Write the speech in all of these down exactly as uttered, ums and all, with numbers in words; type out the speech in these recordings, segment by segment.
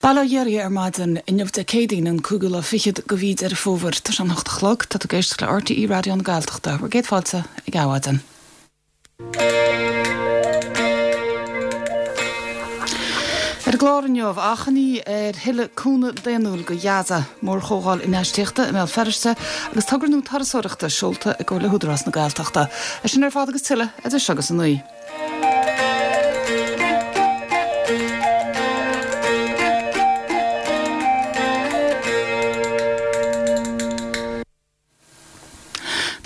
Bail ó Dhia oraibh ar maidin inniu Dé Céadaoin an cúigiú lá fichead de mhí Deireadh Fómhair tá sé an hocht a chlog tá tú ag éisteacht le RTÉ Raidió na Gaeltachta, bhur gcéad fáilte ag Adhmhaidin. Ar an gclár inniu achainí ar thuilleadh cúnamh daonnúil go Gaza, mórchomhdháil infheistíochta i mBéal Feirste agus togra nua turasóireachta seolta i gcomhar le hÚdarás na Gaeltachta. É sin ar fad agus tuilleadh idir seo agus a naoi.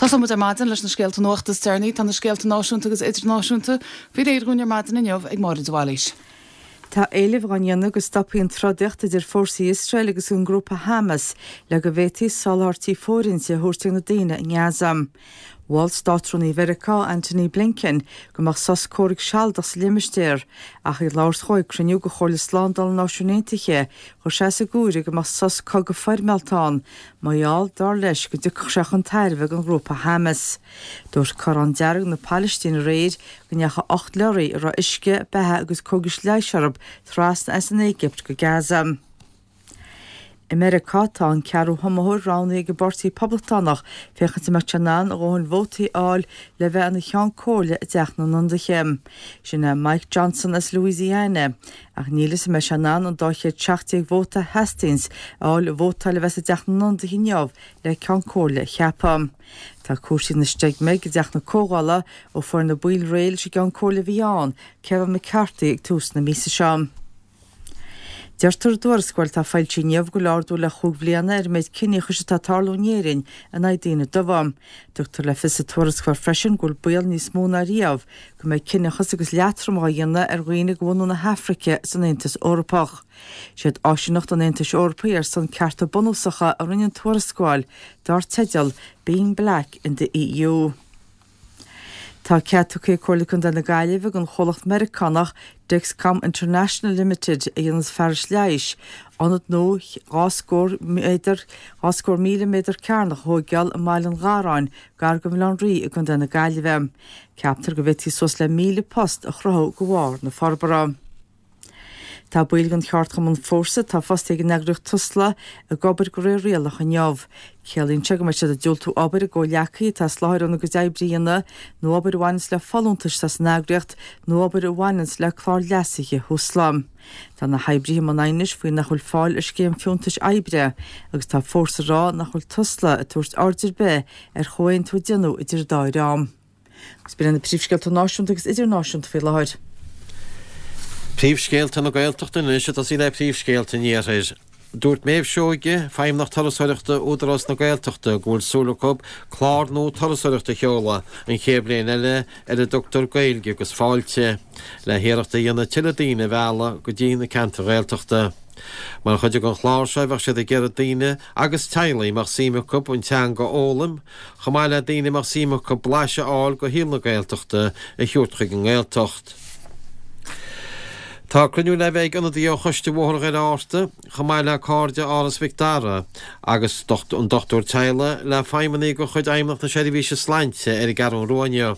Tosóidh muid ar maidin leis na scéalta nuachta is deireanaí. Tá na scéalta náisiúnta agus idirnáisiúnta faoi réir dhúinn ar maidin inniu ag Máire de Bhailís. Tá éilimh á ndéanamh go stopfaí an trodaíocht idir fórsaí Iosrael agus an grúpa Hamas le go bhféadfaí soláthairtí fóirithinte a thabhairt ag na daoine i nGaza. Mhol Státrúnaí Mheiriceá Antony Blinken go mbeadh sos comhraic sealadach sa limistéar, ach ag labhairt dhó ag cruinniú de Chomhairle Slándála na Náisiún Aontaithe, chuir sé as an gcomhaireamh go mbeadh sos cogaidh foirmeálta ann, mar gheall, dar leis, go dtiocfadh sé chun tairbhe don ghrúpa Hamas. Dúirt Corrán Dearg na Palaistíne aréir go ndeachaigh ocht leoraí a raibh uisce, beatha agus cógais leighis orthu trasna as an Éigipt go Gaza. I Meiriceá, tá an ceathrú hiomaitheoir roghnaithe ag an bPáirtí Poblachtánach féachaint an mbeadh sé in ann a dhóthain vótaí a fháil le bheith ina Cheann Comhairle i dTeach na nIonadaithe. Sin é Mike Johnson as Louisiana. Ach níl fhios an mbeidh sé in ann an dá chéad seacht déag vóta a theastaíonns a fháil i vótáil a bheas i dTeach na nIonadaithe inniu le Ceann Comhairle a cheapadh. Tá cúrsaí ina steigmig i dTeach na Comhdhála ó fuair na baill réidh leis an gCeann Comhairle a bhí ann, Kevin McCarthy ag tús na míosa seo. Deirtear i dtuarascáil atá foilsithe inniu go bhfuil ardú le chúig bhliana ar an méid ciníochais atá ag tarlú in Éirinn in aghaidh daoine dubha. Tugtar le fios sa tuarascáil freisin go bhfuil baol níos mó ná riamh go mbeidh ciníochas agus leatrom á dhéanamh ar dhaoine de bhunadh na hAfraice san Aontas Eorpach. Siad Áisíneacht an Aontais Eorpaigh ar son Cearta Bunúsacha a rinne an tuarascáil dar teideal Being Black in the EU. Tá cead tugtha ag Comhairle Contae na Gaillimhe don chomhlacht Meiriceánach Dexcom International Limited, a dhéananns fearais leighis, ionad nua dhá scór méadar, dhá scór míle méadar cearnach a thóigeáil i mBaile an Gharráin, gar go Bhaile Átha an Rí i gContae na Gaillimhe. Ceaptar go bhféadfaí suas le míle post a chruthú de bharr na forbartha. Tá baill den cheardchumann Fórsa atá fostaithe ag an eagraíocht Tusla ag obair de réir rialach inniu. Ciallaíonn sé go mbeidh siad ag diúltú obair a gcomhghleacaithe atá as láthair óna gcuid oibre a dhéanamh, nó obair a bhaineanns le folúntais atá san eagraíocht, nó obair a bhaineanns le clár leasaithe Thusla. Tá na hoibrithe i mbun aighnis faoi nach bhfuil fáil ar scéim fiúntais oibre, agus tá Fórsa ag rá nach bhfuil Tusla ag tabhairt aird ar bith ar chomhaontú a déanadh idir an dá dhream. Agus b'in iad na príomhscéalta náisiúnta agus idirnáisiúnta faoi láthair. Príomhscéalta na Gaeltachta anois ag tosaí le príomhscéalta an Iarthair. Dúirt Méabh Seoige, Feidhmeannach Turasóireachta Údarás na Gaeltachta go bhfuil súil acu clár nua turasóireachta a sheoladh an chéad bhliain eile ar a dtugtar Gaeilge agus Fáilte, le hiarracht a dhéanamh tuilleadh daoine a mhealladh go dtí na ceantair Ghaeltachta. Mar chuid den chlár seo bheadh siad ag iarraidh daoine agus teaghlaigh a mbeadh suim acu an teanga a fhoghlaim, chomh maith le daoine a mbeadh suim acu blaiseadh a fháil de shaol na Gaeltachta a thabhairt chuig an nGaeltacht. Tá cruinniú le bheith ag ionadaithe ó Choiste Bhóthar Dhoire Fhátharta, chomh maith le Cairde Áras Mhic Dara agus an dochtúir teaghlaigh le feidhmeannaigh de chuid Fheidhmeannacht na Seirbhíse Sláinte ar an gCeathrú Rua inniu.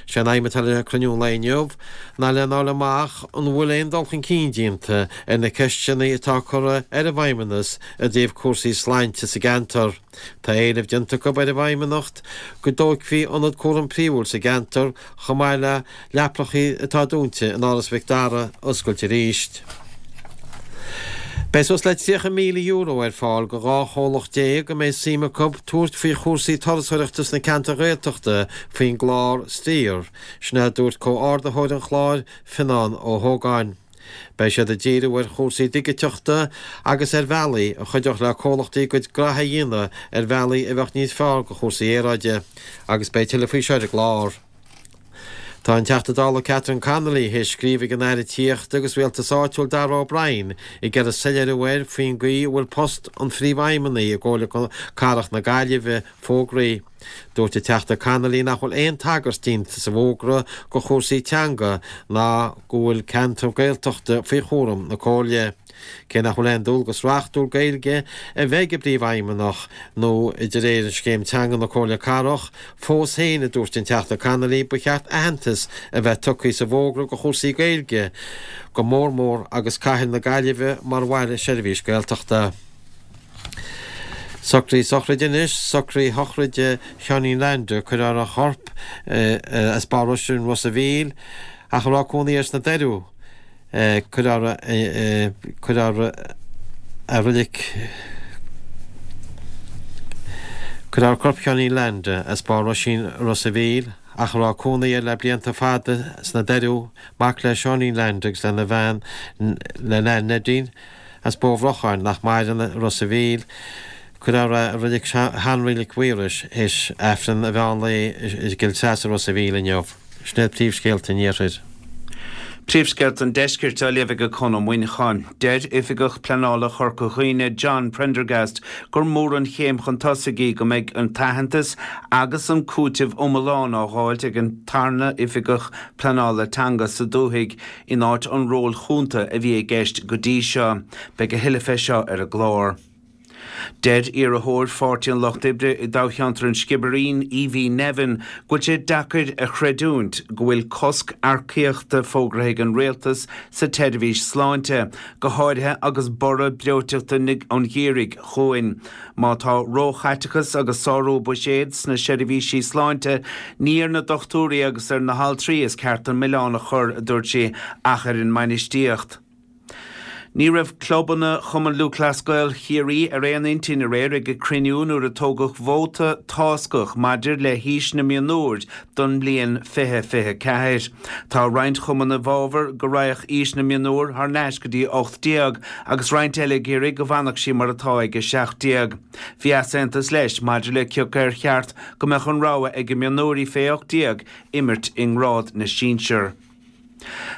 Sé an aidhm atá le cruinniú an lae inniu ná lena fháil amach an bhfuil aon dul chun cinn déanta ar na ceisteanna atá curtha ar an bhFeidhmeannas i dtaobh cúrsaí sláinte sa gceantar. Tá éileamh déanta acu ar an bhFeidhmeannacht go dtógfaí ionad cúraim príomhúil sa gceantar chomh maith le leapacha atá dúnta in Áras Mhic Dara a oscailt arís. Beidh suas le tríocha míle euro ar fáil go dhá chomhlacht déag a mbeidh suim acu tabhairt faoi chúrsaí turasóireachta sna ceantair Ghaeltachta faoin gclár Stir. Sin é a dúirt comhordaitheoir an chláir, Fionán Ó hÓgáin. Beidh siad ag díriú ar chúrsaí digiteachta agus ar bhealaí a chuideodh le comhlachtaí a gcuid graithe a dhéanamh ar bhealaí a bheadh níos fearr go chúrsaí aeráide. Agus beidh tuilleadh faoi seo ar an gclár. Tá an Teachta Dála Catherine Connolly théis scríobh ag an Aire Tithíochta agus Rialtais Áitiúil Darragh O'Brien ag iarraidh soiléiriú air faoin gcaoi a bhfuil post an Phríomhfheidhmeannaigh i gComhairle Cathrach na Gaillimhe fógraithe. Dúirt an Teachta Connolly nach bhfuil aon tagairt déanta sa bhfógra go chúrsaí teanga ná go bhfuil ceantar Gaeltachta faoi chúram na Comhairle. Cé nach bhfuil aon dualgas reachtúil Gaeilge a bheith ag an bPríomhfheidhmeannach nó de réir scéim teanga na Comhairle Cathrach, fós féin, a dúirt an Teachta Connolly, ba cheart aitheantas a bheith tugtha sa bhfógra do chúrsaí Gaeilge, go mór mór agus cathair na Gaillimhe mar bhaile seirbhís Gaeltachta. Socruithe sochraide anois, socruithe sochraide Sheáinín Leainde, cuirfear a chorp as Barr Oisín, Ros a' Mhíl, ach a raibh cónaí air sna Doiriú. Cuirfear cuirfear a reilig Cuirfear corp Sheáinín Leainde as Barr Oisín, Ros a' Mhíl, ach a raibh cónaí air le blianta fada sna Doiriú, mac le Seáinín Leainde agus lena bhean le Nan Neidín, as Bó Bhrocháin, nach maireann, Ros a' Mhíl. Cuirfear é i reilig Shean-Reilig Mhaorais théis Aifreann an mheán lae i gCill Treasa, Ros a' Mhíl inniu. Sin iad príomhscéalta an Iarthair. Príomhscéalta an Deiscirt á léamh ag Conn Ó Muineacháin. Deir Oifigeach Pleanála Chorca Dhuibhne John Prendergast gur mór an chéim chun tosaigh í go mbeidh an t-aitheantas agus an cúiteamh iomlán á dháilt ag an tarna Oifigeach Pleanála Teanga sa dúthaigh in áit an róil chúnta a bhí i gceist go dtí seo. Beidh a thuilleadh fé seo ar an gclár. Deir iarrthóir Pháirtí an Lucht Oibre i dtoghcheantar an Sciobairín, Evie Nevin, go bhfuil sé deacair a chreidiúint go bhfuil cosc earcaíochta fógraithe ag an rialtas sa tseirbhís sláinte, go háirithe agus borradh breoiteachta an gheimhridh chugainn. Má tá róchaiteachas agus sárú buiséid sna seirbhísí sláinte, ní ar na dochtúirí agus ar na haltraí is ceart an milleán a chur, a dúirt sí, ach ar an mbainistíocht. Ní raibh clubanna Chumann Lúthchleas Gael Chiarraí ar aon intinn aréir ag a cruinniú nuair a tógadh vóta táscach maidir le haois na mionúir don mbliain fiche fiche ceathair. Tá roinnt chumann i bhfabhar go raghadh aois na mionúr thar n-ais go dtí ocht déag agus roinnt eile ag iarraidh go bhfanfadh sí mar atá ag a seacht déag. Bhí easaontas leis maidir le cioca ar cheart go mbeadh an rogha ag mionúirí fé ocht déag imirt i ngrád na sinsear.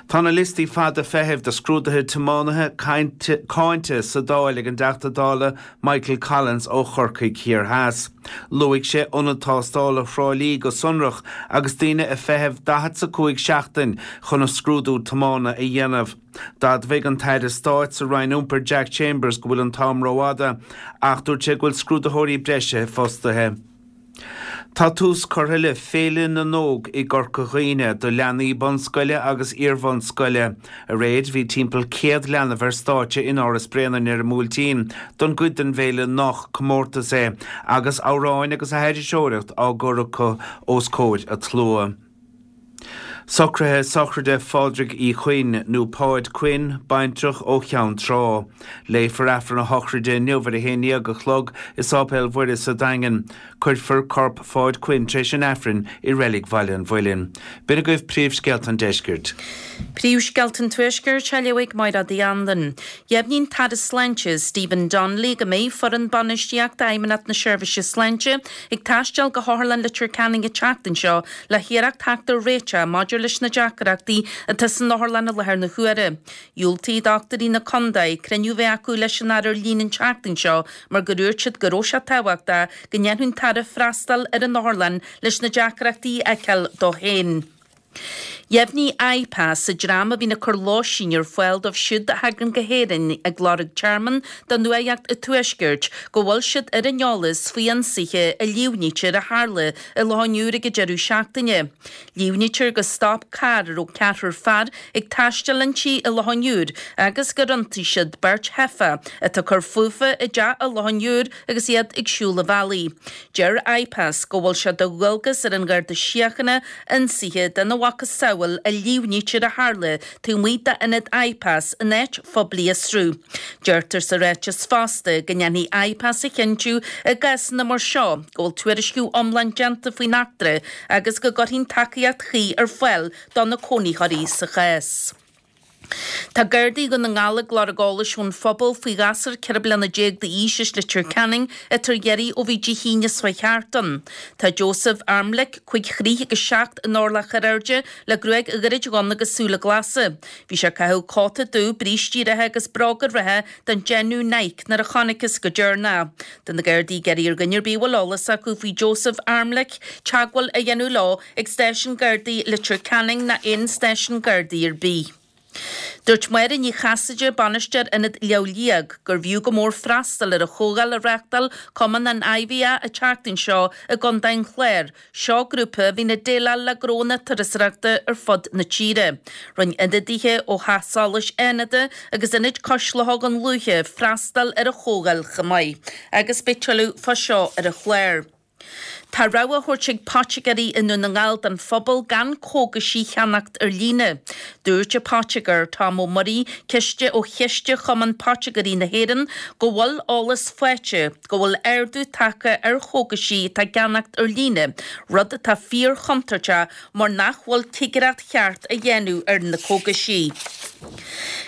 Tá na liostaí fada feithimh do scrúduithe tiománaithe cáinte sa Dáil ag an dTeachta Dála Michael Collins ó Chorcaigh Thiar Theas. Luaigh sé ionad tástála Thrá Lí go sonrach agus daoine ag feitheamh daichead 's a cúig seachtain chun a scrúdú tiomána a dhéanamh. D'admhaigh an tAire Stáit sa Roinn Iompair Jack Chambers go bhfuil an t-am rófhada ach dúirt sé go bhfuil scrúdaitheoirí breise fostaithe. Tá tús curtha le Féile na nÓg i gCorca Dhuibhne do leanaí bunscoile agus iarbhunscoile. Aréir bhí timpeall céad leanbh ar stáitse in Áras Bréanainn ar an mBuailtín don gcuid den bhféile nach comórtas é, agus amhráin agus aithriseoireacht á gcur acu os comhair an tslua. Socruithe sochraide Phádraig Uí Chuinn, nó Páid Quinn, baintreach ó Cheann Trá. Léifear Aifreann a shochraide inniu ar a haon déag a chlog i Sáipéal Mhuire sa Daingean. Cuirfear corp Pháid Quinn tar éis an Aifrinn i Reilig Bhaile an Mhuilinn. B'in agaibh príomhscéalta an Deiscirt. Príomhscéalta an Tuaiscirt á léamh ag Máire Uí Anluain. Dheimhnigh an tAire Sláinte, Stephen Donnelly, go mbeidh foireann bainistíochta Fheidhmeannacht na Seirbhíse Sláinte ag taisteal go hOtharlann Leitir Ceanainn an tseachtain seo le hiarracht theacht ar réiteach maidir leis na deacrachtaí atá san otharlann i láthair na huaire. Dhiúltaigh dochtúirí na contae cruinniú a bheith acu leis an Aire ar líne an tseachtain seo mar gur dhúirt siad go raibh sé tábhachtach go ndéanfadh an tAire freastal ar an otharlann leis na deacrachtaí a fheiceáil dó féin. Dheimhnigh IPAS, an dream a bhíonn ag cur lóistín ar fáil dóibh siúd a thagann go hÉirinn ag lorg tearmann do nuatheacht an Tuaiscirt, go bhfuil siad ar an eolas faoi ionsaithe a líomhnaítear a tharla i Loch an Iúir ag an deireadh seachtaine. Líomhnaítear gur stop carr a raibh ceathrar fear ag taisteal inti i Loch an Iúir agus gur ionsaigh siad beirt theifeach atá ag cur fúthu i dteach i Loch an Iúir agus iad ag siúl an bhealaigh. Deir IPAS go bhfuil sé de dhualgas ar an Gharda Síochána ionsaithe den mhacasamhail a líomhnaítear a tharla taobh amuigh d'ionad IPAS in áit phoiblí a fhiosrú. Deirtear sa ráiteas fosta go ndéanfaidh IPAS a chinntiú i gcásanna mar seo go bhfuil tuairisciú iomlán déanta faoin eachtra agus go gcuirfidh an tacaíocht chuí ar fáil do na cónaitheoirí sa chás. Tá Gardaí Dhún na nGall ag lorg eolais ón phobal faoi ghasúr ceithre bliana déag d'aois as Leitir Ceanainn atá ar iarraidh ó bhí Dé hAoine seo thart ann. Tá Joseph Armlick, cúig throigh agus seacht in orlach ar airde, le gruaig ghairid dhonn agus súile glasa. Bhí sé ag caitheamh cóta dubh, brístí reatha agus bróga reatha den déanamh Nike nuair a chonacthas go deireanach. Tá na Gardaí ag iarraidh ar dhuine ar bith a bhfuil eolas acu faoi Joseph Armlick teagmháil a dhéanamh leo ag Stáisiún Gardaí Leitir Ceanainn ná aon stáisiún Gardaí ar bith. Dúirt Máire Ní Chasaide, Bainisteoir Ionad Lámh Liag, gurbh fhiú go mór freastal ar an chomhdháil a reáchtáil Cumann an IVA an tseachtain seo i gContae an Chláir. Seo grúpa a bhíonn ag déileáil le gnónna turasóireachta ar fud na tíre. Rinne ionadaithe ó Theach Solais Fhánada agus Ionad Cois Locha Dhún Lúiche freastal ar an chomhdháil chomh maith. Agus beidh tuilleadh fá seo ar an chlár. Tá rabhadh á thabhairt ag poitigéirí i nDún na nGall don phobal gan cógaisí a cheannacht ar líne. Dúirt an poitigéir Tom Ó Muirí, ciste ó Chiste Chumann Poitigéirí na hÉireann, go bhfuil eolas faighte go bhfuil ardú tagtha ar chógaisí atá á gceannacht ar líne, rud atá fíor-chontúirteach mar nach bhfuil cigireacht cheart á dhéanamh ar na cógaisí.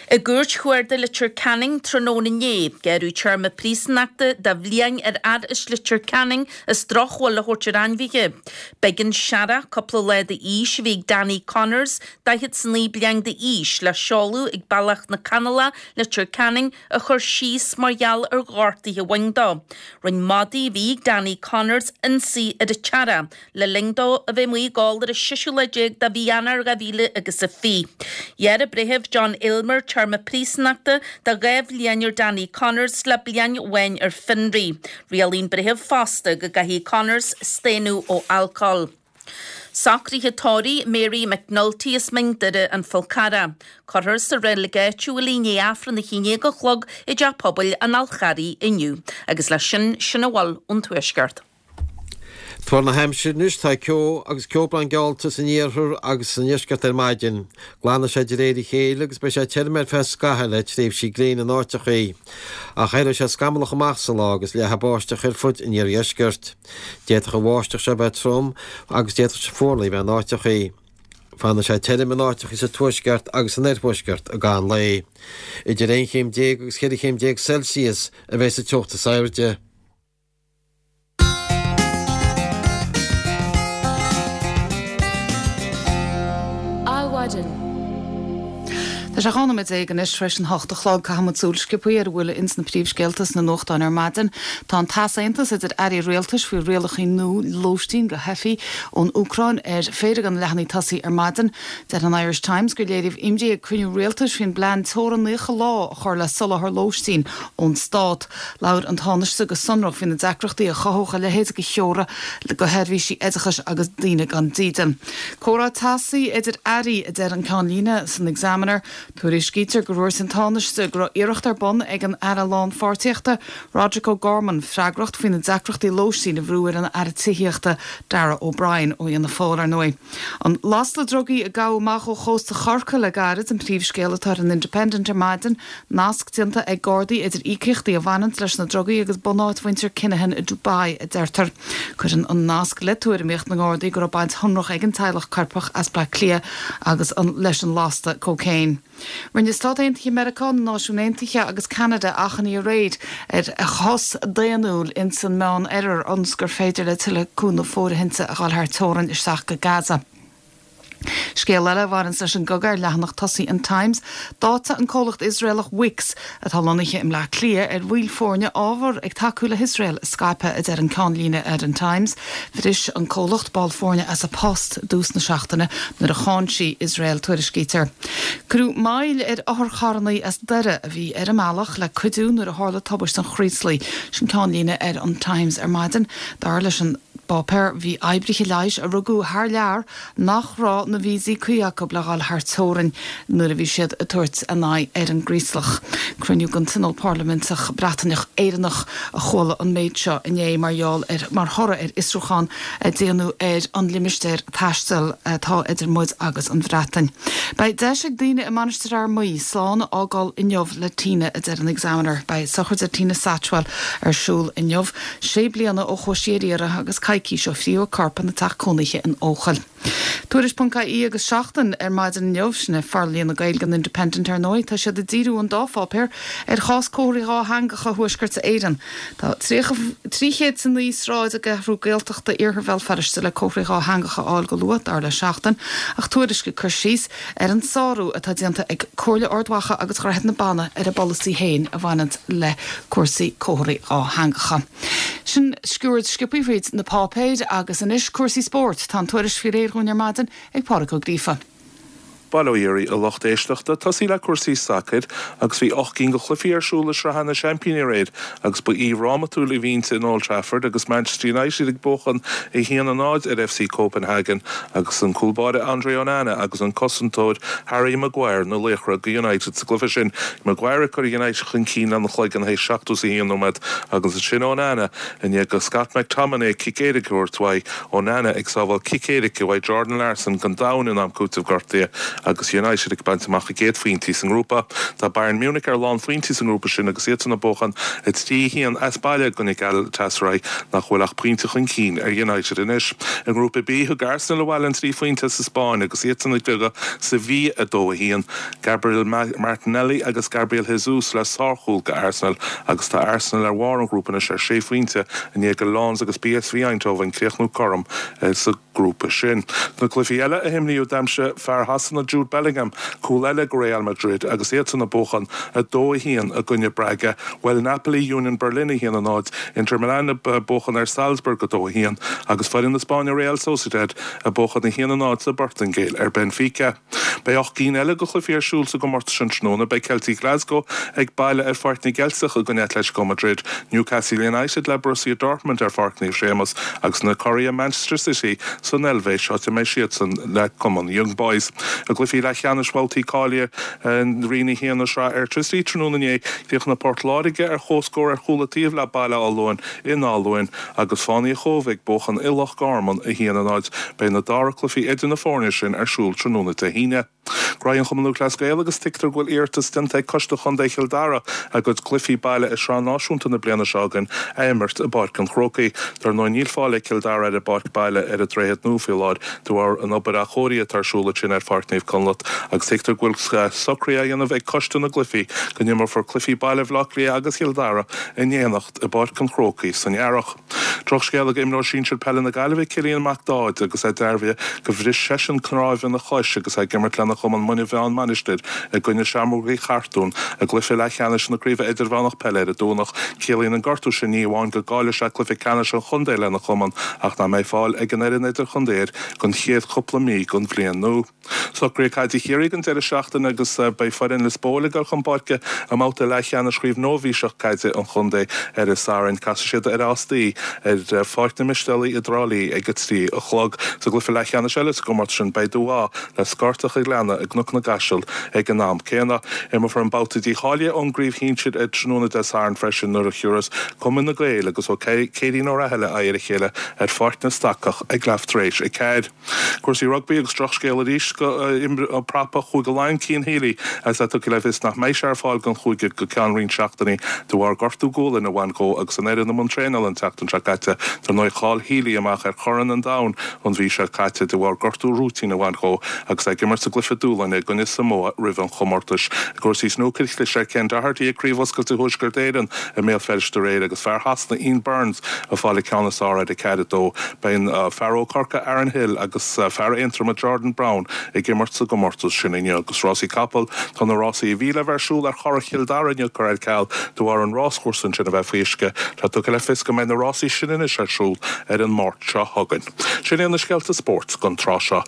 I gCúirt Chuarda Leitir Ceanainn tráthnóna inné, gearradh téarma príosúnachta de bhliain ar fhear as Leitir Ceanainn as drochbhail a thabhairt ar ainmhithe. B'éigean searrach cúpla lá d'aois a bhí ag Danny Connors, daichead 's a naoi bliain d'aois, le seoladh ag Bealach na Canalach, Leitir Ceanainn, a chur síos mar gheall ar ghortuithe a bhain dó. Rinne madaí a bhí ag Danny Connors ionsaí ar an tsearrach. Le linn dó a bheith amuigh ag ól ar an seisiú lá déag de mhí Eanáir dhá mhíle agus a fiche. Ghearr an Breitheamh John Aylmer téarma príosúnachta de dhá bhliain ar Danny Connors le bliain amháin ar fionraí. Rialaigh an Breitheamh fosta go gcaithfidh Connors staonadh ó alcól. Socruithe tórraimh Mary McNulty as Mín Doire, An Fál Carrach. Cuirfear sa reilig áitiúil í i ndiaidh Aifreann a haon déag a chlog i dTeach Pobail an Fháil Charraigh inniu. Agus leis sin, sin a bhfuil ón Tuaisceart. Tuar na haimsire anois, tá ceo agus ceobhrán geallta san iarthar agus sa ndeisceart ar maidin. Glanfaidh sé de réir a chéile agus beidh sé tirim ar feadh scaithimh le tréimhsí gréine in áiteachaí. Ach éireoidh sé scamallach amach sa lá agus leathfaidh báisteach ar fud an iardheiscirt. D'fhéadfadh an bháisteach seo bheith trom agus d'fhéadfadh fuarlaigh bheith in áiteachaí. Fanfaidh sé tirim in áiteachaí sa tuaisceart agus san oirthuaisceart i gcaitheamh an lae. Idir aon chéim déag agus ceithre chéim déag Celsius a bheidh sa teocht is airde. Adhmhaidin. Tá sé dhá nóiméad déag anois tar éis an hocht a chlog. Caithfidh muid súil sciobtha ar a bhfuil ins na príomhscéalta sna nuachtáin ar maidin. Tá an t-easaontas idir airí rialtais faoi rialacha nua lóistín do theifigh ón Úcráin ar phéire de na leathanaigh tosaigh ar maidin. Deir an Irish Times gur léiríodh imní ag cruinniú rialtais faoin bplean teorainn naocha lá a chur le soláthar lóistín ón stát. Labhair an Tánaiste go sonrach faoi na deacrachtaí a chothódh a leithéid de theora do sheirbhísí oideachais agus daoine gan dídean. Comhrá teasaí idir airí, a deir an ceannlíne san Examiner. Tuairiscítear gur dhúirt an Tánaiste go raibh iarracht ar bun ag an Aire Lánpháirtíochta, Roderic O'Gorman, freagracht faoi na deacrachtaí lóistín a bhrú ar an Aire Tithíochta, Darragh O'Brien, ó Fhianna Fáil, ar ndóigh. An lasta drugaí a gabhadh amach ó chósta Chorcaí le gairid an príomhscéal atá ar an Independent ar maidin. Nasc déanta ag Gardaí idir íocaíochtaí a bhaineanns leis na drugaí agus bunáit mhuintir Kinahan i Dubai, a deirtear. Cuireann an nasc le tuairimíocht na nGardaí go raibh baint shonrach ag an teaghlach coirpeach as Bleá Cliath agus leis an lasta cócaon. Rinne Stáit Aontaithe Meiriceá, na Náisiúin Aontaithe agus Ceanada achainí aréir ar shos daonnúil ins an Meánoirthear ionas gur féidir le tuilleadh cúnamh fóirithinte a dhul thar teorainn isteach go Gaza. Scéal eile a bhaineanns leis an gcogadh ar leathanach tosaigh an Times, d'áitigh an comhlacht Iosraelach Wix, atá lonnaithe i mBleá Cliath, ar bhaill foirne ábhar ag tacú le hIosrael a scaipeadh, a deir an ceannlíne ar an Times. Bhris an comhlacht ball foirne as a post i dtús na seachtaine nuair a cháin sí Iosrael, tuairiscítear. Cuireadh moill ar otharcharranna as Doire a bhí ar a mbealach le cuidiú nuair a tharla tubaiste an Chraoslaigh. Sin ceannlíne ar an Times ar maidin. Dar leis an bpáipéar, bhí oibrithe leighis a rugadh thar lear nach raibh na víosaí cuí acu le dhul thar teorainn nuair a bhí siad ag tabhairt a n-aghaidh ar an gCraoslach. Cruinniú den Tionól Parlaiminteach Breataineach-Éireannach a chuala an méid seo inné mar gheall ar mar thoradh ar fhiosrúchán a déanadh ar an limistéar taistil atá idir muid agus an Bhreatain. Beidh deis ag daoine i Mainistir Fhear Maí slán a fhágáil inniu le Tina, a deir an Examiner. Beidh sochraid Tina Satchwell ar siúl inniu, sé bliana ó chuaigh sí ar iarraidh agus coicís ó fríodh a corp ina teach cónaithe in Eochaill. Tuairisc ponc ie agus Seachtain ar maidin inniu, sin é forlíonadh Gaeilge an Independent ar ndóigh, tá siad ag díriú an dá pháipéar ar chás comharthaí dhátheangacha Thuaisceart Éireann. Tá trí chéad is a naoi sráid i gceathrú Gaeltachta Iarthar Bhéal Feirste le comharthaí dhátheangacha a fháil go luath, dar le Seachtain, ach Tuairisc ag cur síos ar an sárú atá déanta ag Comhairle Ard Mhacha agus Dhroichead na Banna ar a bpolasaí féin a bhaineann le cúrsaí comharthaí dhátheangacha. Sin sciuird sciobtha thríd na páipéir agus anois cúrsaí spóirt. Tá an tuairisc faoi réir dhúinn ar maidin ag Pádraig Ó Gríofa. Bail ó Dhia oraibh, a lucht éisteachta. Tosaí le cúrsaí sacair agus bhí ocht gcinn de chluichí ar siúl i Sraith na Seaimpíní aréir agus ba oíche dhrámatúil a bhí inti in Old Trafford agus Manchester United ag buachan a haon a náid ar F C Copenhagen agus an cúl báire Andre Onana agus an cosantóir Harry Maguire na laochra do United sa gcluiche sin. Maguire ag cur United chun cinn lena chloigeann théis seachtó is a haon nóiméad agus ansin Onana i ndiaidh do Scott McTominay cic éirice a thabhairt uaidh, Onana ag sábháil cic éirice uaidh Jordan Larsson go domhain in am cúitimh gortaithe agus United ag baint amach a gcéad phointí sa ngrúpa. Tá Bayern Munich ar lánphointí sa ngrúpa sin agus iadsan ag buachan a trí a haon as baile i gcoinne Galatasaray nach bhfuil ach pointe chun cinn ar United anois. I ngrúpa B, thug Arsenal abhaile an trí phointe as an Spáinn agus iadsan ag cloí Sevilla a dó a haon. Gabriel Martinelli agus Gabriel Jesus le sárchúil do Arsenal agus tá Arsenal ar bharr an ghrúpa anois ar sé phointe i ndiaidh do Lens agus P S V Eindhoven críochnú cothrom sa grúpa sin. Na cluichí eile a himríodh, d'aimsigh fear Shasana Jude Bellingham cúl eile do Real Madrid agus iadsan ag buachan a dó a haon i gcoinne Braga. Bhuail Napoli Union Berlin a haon a náid, Inter Milan ag buachan ar Salzburg a dó a haon agus foireann na Spáinne Real Sociedad ag buachan a haon a náid sa bPortaingéil ar Benfica. Beidh ocht gcinn eile de chluichí ar siúl sa gcomórtas sin tráthnóna. Beidh Celtic Glasgow ag baile ar Pháirc na gCeilteach i gcoinne Atletico Madrid, Newcastle United le Borussia Dortmund ar Pháirc Naomh Séamus agus na curaidh Manchester City san Eilvéis, áit a mbeidh siadsan le cumann Young Boys. I gcluichí leathcheannais bhabhtaí cáilithe Roinn a haon na Sraithe Airtricity tráthnóna inné, chríochnaigh Port Láirge ar comhscór ar chúl an taobh le Baile Átha Luain in Áth Luain agus Fánaí an Chóibh ag buachan i Loch Garman a haon a náid. Beidh na dara cluichí idir na foirne sin ar siúl tráthnóna Dé hAoine. Gnóthaí an Chumann Lúthchleas Gael agus tuigtear go bhfuil iarratas déanta ag Coiste Chontae Chill Dara a gcuid cluichí baile i Sraith Náisiúnta na bliana seo chugainn a imirt i bPáirc an Chrócaigh. Dar ndóigh níl fáil ag Cill Dara ar a bpáirc baile ar an Droichead Nua faoi láthair de bharr an obair athchóirithe atá ar siúl ansin ar Pháirc Naomh Conleth agus tuigtear go bhfuil socruithe á dhéanamh ag Coiste na gCluichí go n-imreofar cluichí baile Bhaile Átha Cliath agus Chill Dara in éineacht i bPáirc an Chrócaigh san earrach. Drochscéal ag imreoir sinsir peile na Gaillimhe Cillian Mac Dáid agus é dearbhaithe gur bhris seisean cnámh ina chois agus é ag imirt lena chumann Muine Mheá Mainistir i gcoinne Seamrógaí Chartún i gcluiche leathcheannais na Craoibhe Idirmheánach Peile ar an Domhnach. Ciallaíonn an gortú sin ní amháin go gcaillfidh sé cluiche ceannais an chontae lena chumann ach nach mbeidh fáil ag an fhoireann idirchontae air don chéad chúpla mí den bhliain nua. Socruithe Caide Chiarraí don deireadh seachtaine agus beidh foireann Lios Póil ag dul chun páirce i mbabhta leathcheannais Chraobh Nóibhíseach Caide an chontae ar an Satharn. Casfaidh siad ar Áth Staí ar Pháirc na Mistéalaí i dTrá Lí ag a trí a chlog. Sa gcluiche leathcheannais eile sa gcomórtas sin beidh Dubh Átha le Scortach an Ghleanna i gCnoc na gCaiseal ag an am céanna. Imreofar an babhta dícháilithe ón gcraobh shinsir ar tráthnóna Dé Sathairn freisin nuair a thiúrfas Cumann na Gael agus Ó Céirín Ó Rathaille aghaidh ar a chéile ar Pháirc na Stacach ag leath tar éis a ceathair. Cúrsaí rugbaí agus drochscéal arís do prapa Chúige Laighean Cian Healy agus é tugtha le fios nach mbeidh sé ar fáil don chúige go ceann roinnt seachtainí de bharr gortú gualainne a bhain dhó agus an fhoireann i mbun traenála an tseachtain seo caite. Dar ndóigh chaill Healy amach ar Chorn an Domhain an mhí seo caite de bharr gortú rúitín a bhain dhó agus é ag imirt sa gcluiche dúshláin i gcoinne Samoa roimh an chomórtas. I gcúrsaí snúcair chlis ar Ken Doherty ag Craobh Oscailte Thuaisceart Éireann i mBéal Feirste aréir agus fear Shasana Ian Burns ag fáil an ceann is fearr ar a ceathair a dó. Beidh fear ó Corcaigh Aaron Hill agus fear Aontroma Jordan Brown ag imirt sa gcomórtas sin inniu agus rásaí capall tá na rásaí a bhí le bheith ar siúl ar Churrach Chill Dara inniu curtha ar ceal de bharr an ráschúrsa sin a bheith faoi uisce. Tá tugtha le fios go mbeidh na rásaí sin anois ar siúl ar an Máirt seo chugainn. Sin é na scéalta spóirt don tráth seo.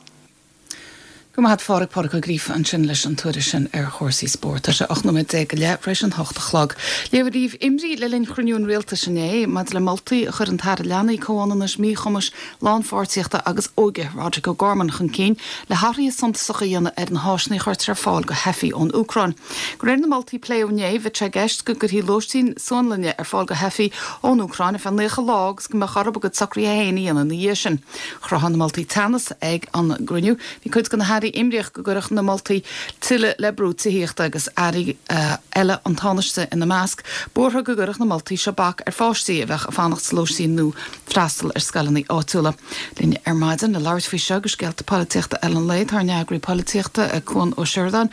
Go maith Phádraig Pádraig Ó Gríofa ansin leis an tuairisc sin ar chúrsaí spóirt. Tá sé ocht nóiméad déag go leith tar éis an hocht a chlog. Léadh daoibh imní le linn chruinniú an rialtais inné maidir le moltaí a chuir an tAire Leanaí Comhionannais Míchumais Lánpháirtíochta agus Óige Roderick O'Gorman chun cinn le hathruithe suntasacha a dhéanamh ar na háiseanna a chuirtear ar fáil go theifigh ón Úcráin. De réir na moltaí a pléadh inné bheadh sé i gceist go gcuirfí lóistín suanlainne ar fáil go theifigh ón Úcráin ar feadh naocha lá agus go mbeadh orthu a gcuid socruithe féin a dhéanamh ina dhiaidh sin. Chruthaigh na moltaí teannas ag an gcruinniú, bhí cuid de na hairí imníoch go gcuirfeadh na moltaí tuilleadh le brú tithíochta agus airí eile an Tánaiste ina measc, buartha go gcuirfeadh na moltaí seo bac ar pháistí a bheadh ag fanacht sa lóistín nó freastal ar scoileanna áitiúla. Linn ar maidin le labhairt faoi seo agus scéalta polaitíochta eile an lae tá ár n-eagraí polaitíochta Cuan Ó Seireadáin.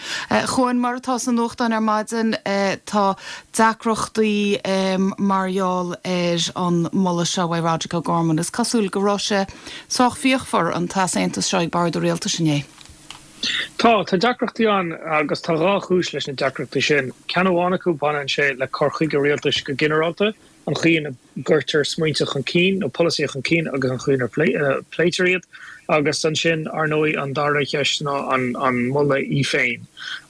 Chuan mar atá sna nuachtáin ar maidin tá deacrachtaí mar gheall ar an moladh seo ó Roderick O'Gorman. Is cosúil go raibh sé sách fíochmhar an t-easaontas seo ag bord an rialtais inné. Tá tá deacrachtaí ann agus tá dhá chúis leis na deacrachtaí sin. Ceann amháin acu baineann sé le cur chuige rialtais go ginearálta. an chaoi ina gcuirtear smaointe chun cinn nó polasaithe chun cinn agus an chaoi inar pléitear iad agus ansin ar ndóigh an dara cheist ná an an moladh í féin.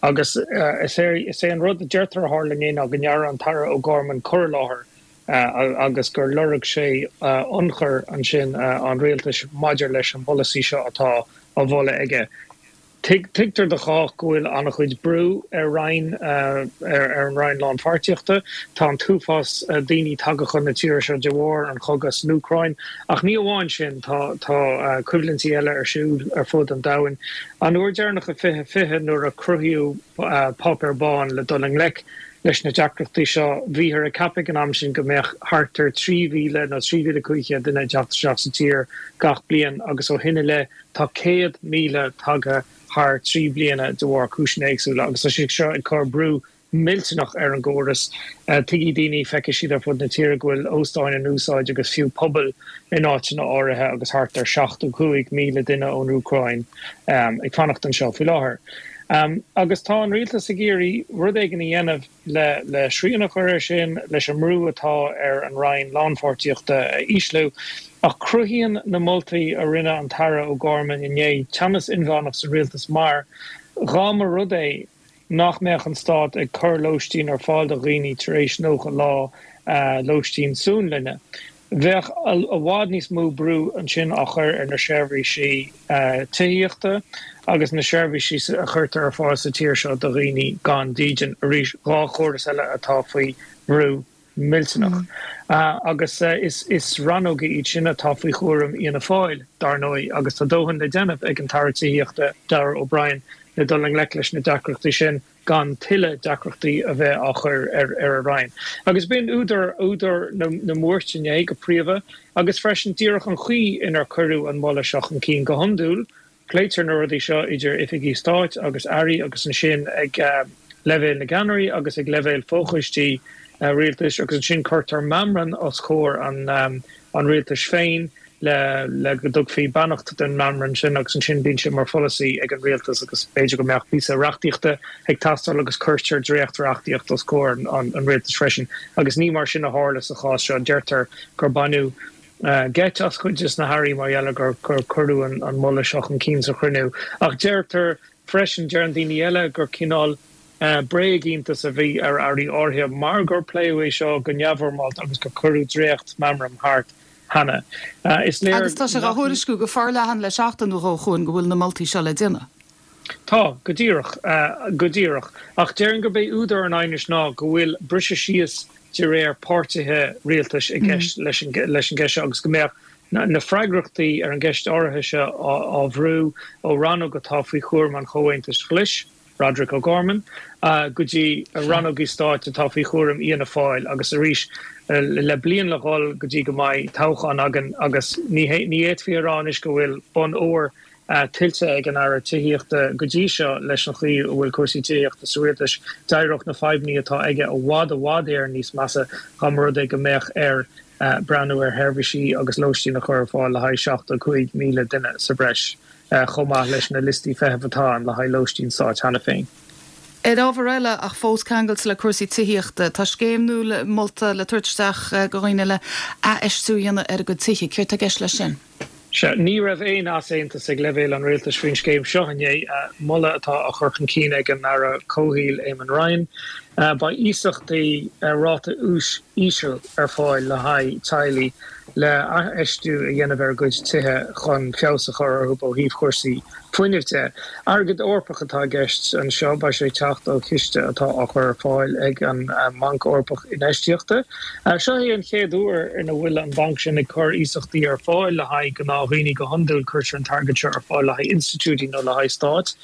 Agus is é is é an rud a deirtear a tharla inné ná go ndearna an tAire O'Gorman cur i láthair agus gur lorg sé ionchur ansin an rialtais maidir leis an bpolasaí seo atá á mholadh aige. Tuigtear do chách go bhfuil an-chuid brú ar Roinn ar an Roinn Lánpháirtíochta. Tá an t-uafás daoine tagtha chun na tíre seo de bharr an chogadh san Úcráin. Ach ní amháin sin, tá tá coimhlintí eile ar siúl ar fud an domhain. An uair deireanach i fiche fiche nuair a cruthaíodh páipéar bán le dul i ngleic leis na deacrachtaí seo, bhíothar ag ceapadh ag an am sin go mbeadh thart ar trí mhíle nó trí mhíle cúig chéad duine ag teacht isteach sa tír gach bliain agus ó shin i leith tá céad míle tagtha thar trí bliana de bharr cúiseanna éagsúla agus tá sé seo ag cur brú millteanach ar an gcóras. Tuigfidh daoine, feicfidh siad ar fud na tíre go bhfuil óstáin in úsáid agus fiú pubaill in áiteanna áirithe agus thart ar seachtó cúig míle duine ón Úcráin ag fanacht anseo faoi láthair. Agus tá an rialtas ag iarraidh rud éigin a dhéanamh le le srian a chur air sin, leis an mbrú atá ar an Roinn Lánpháirtíochta a ísliú. Ach cruthaíonn na moltaí a rinne an tAire O'Gorman inné teannas inmheánach sa rialtas mar, dhá mba rud é nach mbeadh an stát ag cur lóistín ar fáil do dhaoine tar éis nócha lá lóistín suanlainne, bheadh i bhfad níos mó brú ansin á chur ar na seirbhísí tithíochta agus na seirbhísí a chuirtear ar fáil sa tír seo do dhaoine gan dídean. Arís, dhá chóras eile atá faoi bhrú millteanach. Agus is rannóga iad sin atá faoi chúram Fhianna Fáil, dar ndóigh, agus tá dóthain le déanamh ag an tAire Tithíochta, Darragh O'Brien, le dul i ngleic leis na deacrachtaí sin gan tuilleadh deacrachtaí a bheith á chur ar a Roinn. Agus b'in údar údar na mbuairt inné go príomha, agus freisin díreach an chaoi inar cuireadh an moladh seo chun cinn. Go hiondúil, Pléitear na rudaí seo idir oifigí stáit agus airí agus ansin ag leibhéal na gceannairí agus ag leibhéal fochoistí rialtais agus ansin cuirtear meamram os comhair an rialtais féin le le go dtugfaí beannacht don mheamram sin agus ansin bíonn sé mar pholasaí ag an rialtas agus b'fhéidir go mbeadh píosa reachtaíochta ag teastáil agus cuirtear dréacht-reachtaíocht os comhair an rialtais freisin agus ní mar sin a tharla sa chás seo. Deirtear gur baineadh geit as cuid de na hairí mar gheall ar gur cuireadh an moladh seo chun cinn sa chruinniú. Ach deirtear freisin, deireann daoine eile, gur cineál bréagiontas a bhí ar airí áirithe mar gur pléadh é seo go neamhfhoirmeálta agus gur cuireadh dréacht-mheamram thart cheana. Is léir Agus tá sé á thuairisciú go forleathan le seachtain nó dhó chugainn go bhfuil na moltaí seo le déanamh. Tá, go díreach, go díreach. Ach déarfainn gurb é údar an aighnis ná go bhfuil briseadh síos de réir páirtithe rialtais i gceist leis an gceist seo agus go mbeadh na freagrachtaí ar an gceist áirithe seo á bhrú ó rannóg atá faoi chúram an Chomhaontais Ghlais, Roderic O'Gorman, go dtí rannógaí stáit atá faoi chúram Fhianna Fáil agus arís le bliain le dhul go dtí go mbeidh toghchán againn agus ní fhéadfaí a rá anois go bhfuil bonn óir tuillte ag an Aire Tithíochta go dtí seo leis an chaoi a bhfuil cúrsaí tithíochta sa rialtas. D'éireodh na fadhbanna atá aige i bhfad i bhfad Éireann níos measa dá mba rud é go mbeadh air breathnú ar sheirbhísí agus lóistín a chur ar fáil le haghaidh seachtó cúig míle duine sa bhreis, chomh maith leis na liostaí feithimh atá ann le haghaidh lóistín stáit cheana féin. Ar ábhar eile, ach fós ceangailte le cúrsaí tithíochta, tá scéim nua molta le tabhairt isteach do dhaoine le athfheistiú a dhéanamh ar a gcuid tithe. Céard tá i gceist leis sin? Sea, ní raibh aon easaontas ag leibhéal an rialtais faoin scéim seo inné, moladh atá á chur chun cinn ag an Aire Comhshaoil Eamon Ryan. Beidh iasachtaí ar ráta úis íseal ar fáil le haghaidh teaghlaigh le athfheistiú a dhéanamh ar a gcuid tithe chun feabhas a chur orthu ó thaobh chúrsaí fuinnimh de. Airgead Eorpach atá i gceist anseo, beidh sé ag teacht ó chiste atá á chur ar fáil ag an mBanc Eorpach Infheistíochta. Seo é an chéad uair ina bhfuil an banc sin ag cur iasachtaí ar fáil le haghaidh gnáthdhaoine. Go hiondúil cuirtear an t-airgead seo ar fáil le haghaidh institiúidí nó le haghaidh stáit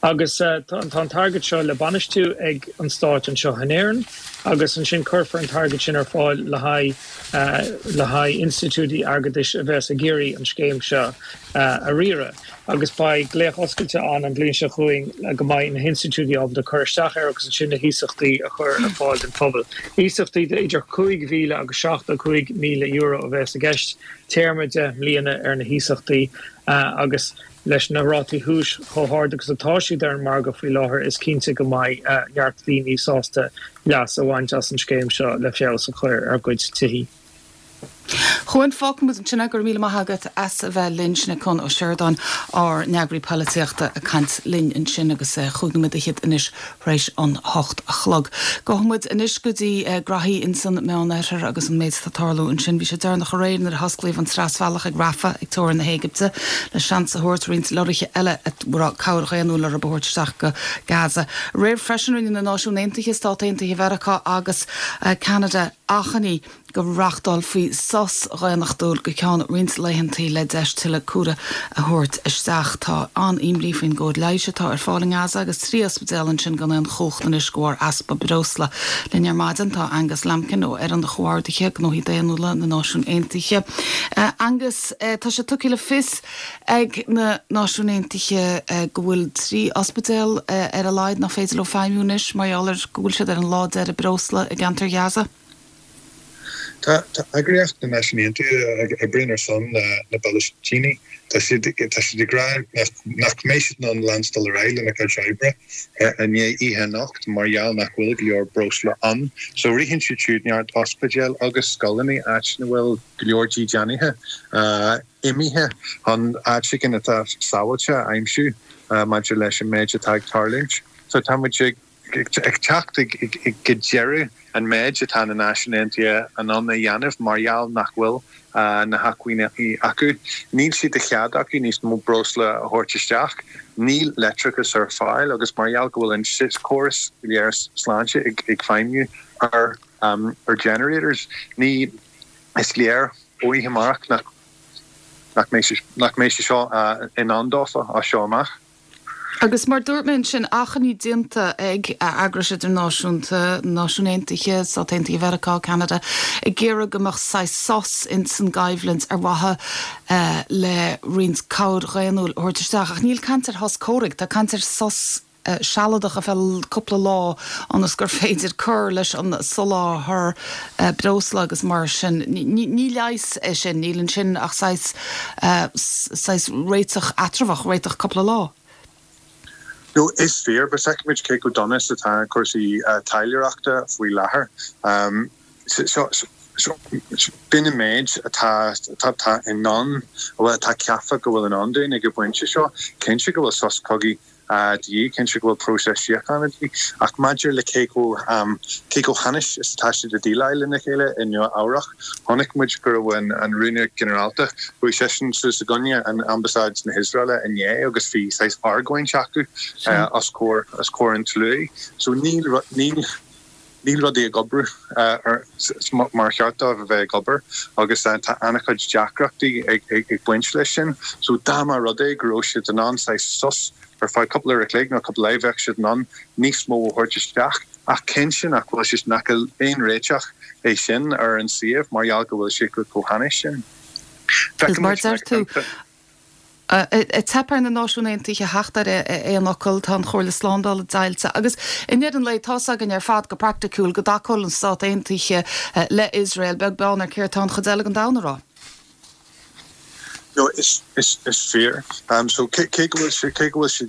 agus tá an t-airgead seo le bainistiú ag an stát anseo in Éirinn agus ansin cuirfear an t-airgead sin ar fáil le haghaidh le haghaidh institiúidí airgeadais a bheas ag iarraidh an scéim seo a riaradh agus beidh glaoch oscailte ann an bhliain seo chugainn go mbeidh na hinstitiúidí ábalta cur isteach air agus ansin na hiasachtaí a chur ar fáil don phobal. Iasachtaí de idir cúig mhíle agus seachtó cúig míle euro a bheas i gceist, téarma deich mbliana ar na hiasachtaí agus leis na rátaí úis chomh hard agus atá siad ar an margadh faoi láthair is cinnte go mbeidh neart daoine sásta leas a bhaint as an scéim seo le feabhas a chur ar a gcuid tithí. Chuan fágfaidh muid ansin é, go raibh míle maith agat as a bheith linn, sin é Conn Ó Seireadáin, ár n-eagraí polaitíochta ag caint linn ansin agus chúig nóiméad fhichead anois tar éis an hocht a chlog. Gabhfaidh muid anois go dtí graithí insan Meánoirthear agus an méid atá ag tarlú ansin. Bhí sé deireanach aréir nuair a hosclaíodh an trasbhealach ag Rafah ag teorainn na hÉigipte le seans a thabhairt roinnt lorraithe eile a raibh cabhair dhaonnúil orthu a thabhairt isteach go Gaza. Aréir freisin rinne na Náisiúin Aontaithe, Stát Aontaithe Mheiriceá agus Ceanada achainí go reáchtálfaí sos dhaonnachtúil go ceann roinnt laethantaí le deis tuilleadh cabhrach a thabhairt isteach. Tá an-imní faoin gcóir leighis atá ar fáil i nGaza agus trí ospidéal ansin gan aon chumhacht anois de bharr easpa breosla. Linn ar maidin tá Angus Lambkin ó Fhoireann Chomhordaithe Gnóthaí Daonnúla na Náisiún Aontaithe. Angus, tá sé tugtha le fios ag na Náisiúin Aontaithe go bhfuil trí ospidéal ar a laghad nach féidir leo feidhmiú anois mar gheall ar go bhfuil siad ar an lá deiridh breosla i gceantar Ghaza. Tá eagraíocht na Náisiún Aontaithe a oibríonn ar son na bPalaistínigh, tá siad tá siad ag rá nach mbeidh siad in ann leanstan ar aghaidh lena gcuid oibre i ndiaidh oíche anocht mar gheall nach bhfuil go leor breosla ann. So ritheann siad siúd neart ospidéal agus scoileanna áit ina bhfuil go leor dídeanaithe imithe chun áit éigin atá sábháilte a aimsiú maidir leis an méid atá ag tarlúint. So tá muid ag ag teacht go deireadh an méid atá na Náisiúin Aontaithe in ann a dhéanamh mar gheall nach bhfuil na hacmhainní acu. Níl sé de chead acu níos mó breosla a thabhairt isteach, níl leictreachas ar fáil agus mar gheall go bhfuil an córas go léir sláinte ag feidhmiú ar ar generators, ní is léir ó oíche amárach nach nach mbeidh sé seo in ann dófa as seo amach. Agus mar dúirt mé ansin, achainí déanta ag eagrais idirnáisiúnta, Náisiúin Aontaithe, Stát Aontaithe Mheiriceá, Ceanada, ag iarraidh go mbeadh saghas sos ins an gcoimhlint ar mhaithe le roinnt cabhair dhaonnúil a thabhairt isteach. Ach níl caint ar shos comhraic, tá caint ar sos sealadach ar feadh cúpla lá ionas gur féidir cur leis an soláthar breosla agus mar sin. Ní leigheas é sin, níl ansin ach saghas saghas réiteach eatramhach, réiteach cúpla lá. No, is fíor, but feicimid cé chomh dona is atá cúrsaí taidhleoireachta faoi láthair. So, so, b'in an méid atá atá in ann, bhuel, atá ceaptha go bhfuil in ann dúinn ag an bpointe seo. Cinnte go bhfuil sos cogaidh de dhíth, cinnte go bhfuil próiseas síochána de dhíth, ach maidir le cé chomh cé chomh hainnis is atá siad ag déileáil lena chéile i Nua Eabhrac, chonaic muid go raibh an an Rúnaí Ginearálta, chuaigh seisean suas i gcoinne an Ambasáid na hIosraeile inné agus bhí saghas argóint acu os comhair os comhair an tslua. So níl níl níl rudaí ag obair mar cheart dóibh a bheith ag obair agus tá an-chuid deacrachtaí ag baint leis sin. So dá mba rud é go raibh siad in ann saghas sos ar feadh cúpla uair a chloig nó cúpla lá bheadh siad in ann níos mó a thabhairt isteach ach cinnte nach bhfuil sé nach aon réiteach é sin ar an suíomh mar gheall go bhfuil sé chomh hainnis sin. Is mar deir tú, ag teip ar na Náisiúin Aontaithe theacht ar aon fhocal, tá an Chomhairle Slándála deighilte agus i ndeireadh an lae tá's againn ar fad go praiticiúil go dtacódh na Stáit Aontaithe le Iosrael, beag beann ar céard tá an chuid eile den domhan a rá. No, is is is fíor. Um, so cé cé go bhfuil sé cé go bhfuil sé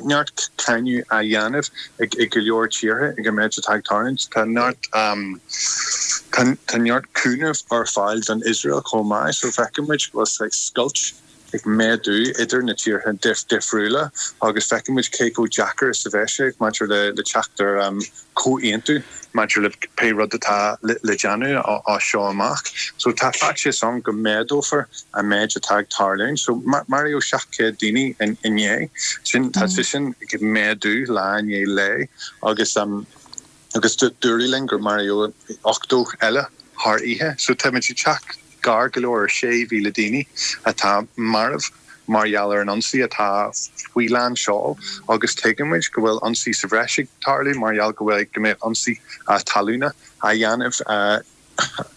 neart cáineadh á dhéanamh ag ag go leor tíortha ag an méid atá ag tarlúint, tá neart um, tá tá neart cúnamh ar fáil don Iosrael chomh maith, so feicimid go bhfuil saghas scoilt ag méadú idir na tíortha difriúla agus feicimid cé chomh deacair is a bheidh sé maidir le le teacht ar um, comhaontú maidir le pé rud atá le le déanamh as seo amach. So tá faitíos ann go méadófar an méid atá ag tarlúint. So maraíodh seacht céad daoine inné, sin tá sé sin ag méadú lá i ndiaidh lae agus um, agus dúradh linn gur maraíodh ochtó eile thar oíche. So táimid ag teacht gar go leor ar sé mhíle daoine atá marbh mar gheall ar an ionsaí atá faoi lán seoil agus tuigimid go bhfuil ionsaí sa bhreis ag tarlú mar gheall go bhfuil go mbeidh ionsaí talúna á dhéanamh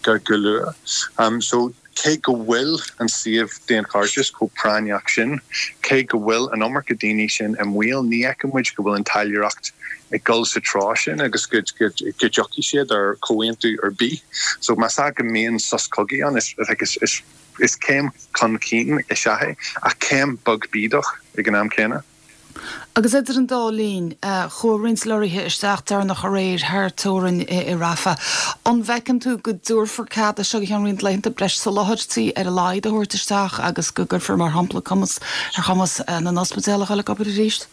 go go luath. Um, so cé go bhfuil an suíomh daonchairdis chomh práinneach sin, cé go bhfuil an iomarca daoine sin i mbaol, ní fheicimid go bhfuil an taidhleoireacht ag dul sa treo sin agus go go dtiocfaidh siad ar comhaontú ar bith. So más ea go mbíonn sos cogaidh ann is is is is céim chun cinn is ea é, ach céim beag bídeach ag an am céanna. Agus idir an dá linn, chuaigh roinnt lorraithe isteach deireanach aréir thar teorainn i Rafah. An bhfeiceann tú go dtabharfar cead as seo go ceann roinnt laethanta breis soláthairtí ar a laghad a thabhairt isteach agus go gcuirfear, mar shampla, cumas ar chumas na n-ospidéal a dhul ag obair arís?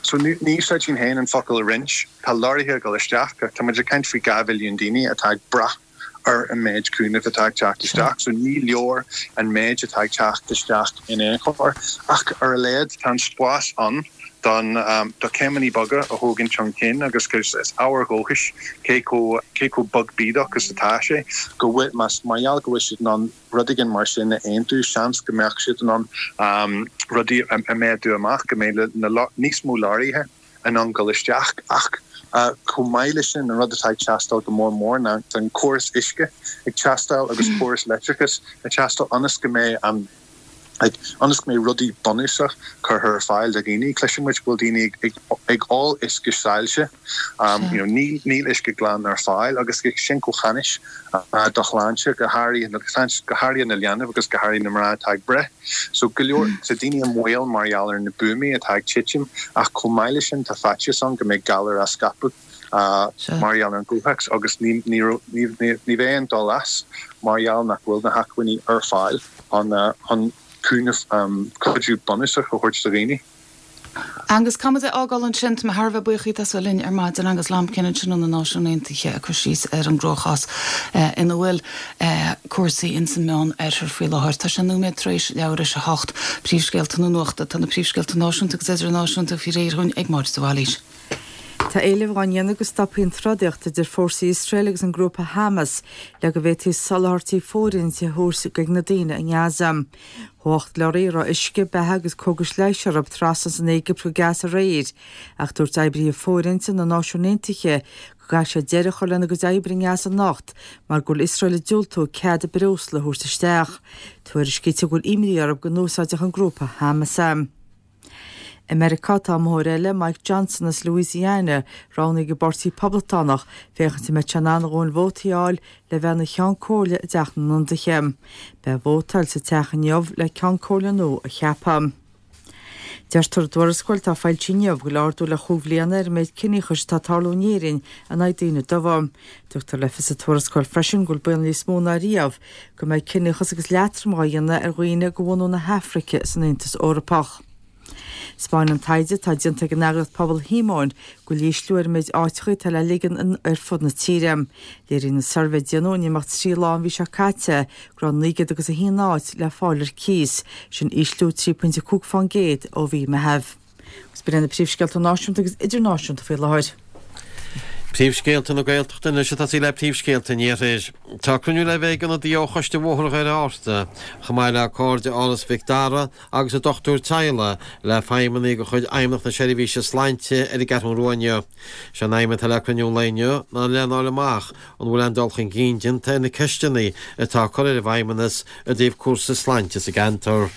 So ní úsáidfinn féin an focal roinnt. Tá lorraithe ag dul isteach ach tá muid ag caint faoi dhá mhilliún daoine atá ag brath ar an méid cúnaimh atá ag teacht isteach, so ní leor an méid atá ag teacht isteach in aon chor, ach ar a laghad tá an spás ann don do céimeanna beaga a thógaint chun cinn agus is ábhar dóchais cé chomh cé chomh beag bídeach is atá sé go bhfuil más mar gheall go bhfuil siad in ann rud éigin mar sin a aontú seans go mbeadh siad in ann rudaí a mhéadú amach go mbeidh na níos mó leoraithe in ann dul isteach ach chomh maith leis sin an rud atá ag teastáil go mór mór ná tá an córas uisce ag teastáil agus córas leictreachais ag teastáil ionas go mbeidh an like ionas go mbeidh rudaí bunúsach curtha ar fáil do dhaoine. Cloiseann muid go bhfuil daoine ag ag ag ól uisce sailse, you know níl níl uisce glan ar fáil agus sin chomh hainnis do shláinte go háirithe go háirithe na leanaí agus go háirithe na mná atá ag breith. So go leor tá daoine i mbaol mar gheall ar na buamaí atá ag titim ach chomh maith leis sin tá faitíos ann go mbeidh galar á scaipeadh mar gheall ar an gcomhthéacs agus ní ní ní ní bheidh aon dul as mar gheall nach bhfuil na hacmhainní ar fáil chun chun cúnamh cuidiú bunúsach a thabhairt do dhaoine. Angus, caithfidh muid é a fhágáil ansin. Tá mé thar a bheith buíoch díot as a bheith linn ar maidin. Angus Lambkin ansin ó na Náisiúin Aontaithe ag cur síos ar an gcruachás ina bhfuil cúrsaí ins an Meán Oirthear faoi láthair. Tá sé nóiméad tar éis leathuair théis a hocht. Príomhscéalta na nuachta. Tá na príomhscéalta náisiúnta agus idirnáisiúnta faoi réir dhúinn ag Máire de Bhailís. Tá éileamh á ndéanamh go stopfaí an trodaíocht idir fórsaí Iosrael agus an grúpa Hamas le go bhféadfaí soláthairtí fóirithinte a thabhairt chuig na daoine i nGaza. Chuaigh ocht leoraí a raibh uisce, beatha agus cógais leighis orthu trasna as an Éigipt go Gaza aréir, ach dúirt oibrithe fóirithinte na Náisiún Aontaithe go gcaithfidh siad deireadh a chur lena gcuid oibre i nGaza anocht mar go bhfuil Iosrael ag diúltú cead breosla a thabhairt isteach. Tuairiscítear go bhfuil imní orthu go n-úsáidfeadh an grúpa Hamas é. I Meiriceá tá iomaitheoir eile, Mike Johnson as Louisiana, roghnaithe ag an bPáirtí Poblachtánach féachaint an mbeidh sé in ann a dhóthain vótaí a fháil le bheith ina Cheann Comhairle i dTeach na nIonadaithe. Beidh vótáil sa teach inniu le Ceann Comhairle nua a cheapadh. Deirtear i dtuarascáil atá foilsithe inniu go bhfuil ardú le chúig bhliana ar an méid ciníochais atá ag tarlú in Éirinn in aghaidh daoine dubha. Tugtar le fios sa tuarascáil freisin go bhfuil baol níos mó ná riamh go mbeidh ciníochas agus leatrom á dhéanamh ar dhaoine de bhunadh na hAfraice san Aontas Eorpach. Spáineann taighde atá déanta ag an eagraíocht Pobal Shíomóin go bhfuil ísliú ar an méid áiteacha atá le ligean ar fud na tíre. Léiríonn an suirbhé a déanadh in imeacht trí lá an mhí seo caite go raibh naoi gcéad agus a haon áit le fáil ar cíos, sin ísliú trí pointe cúig fán gcéad ó mhí Meitheamh. Agus b'in iad na príomhscéalta náisiúnta agus idirnáisiúnta faoi láthair. Príomhscéalta na Gaeltachta anois ag tosaí le príomhscéalta an Iarthair. Tá cruinniú le bheith ag ionadaí ó Choiste Bhóthar Dhoire Fhearta, chomh maith le cairde Áras Mhic Dara agus a dochtúir teaghlaigh, le feidhmeannaigh de chuid Fheidhmeannacht na Seirbhíse Sláinte ar an gCeathrú Rua inniu. Sé an aidhm atá le cruinniú an lae inniu ná lena fháil amach an bhfuil aon dul chun cinn déanta ar na ceisteanna atá curtha ar an bhFeidhmeannas i dtaobh cúrsaí sláinte sa gceantar.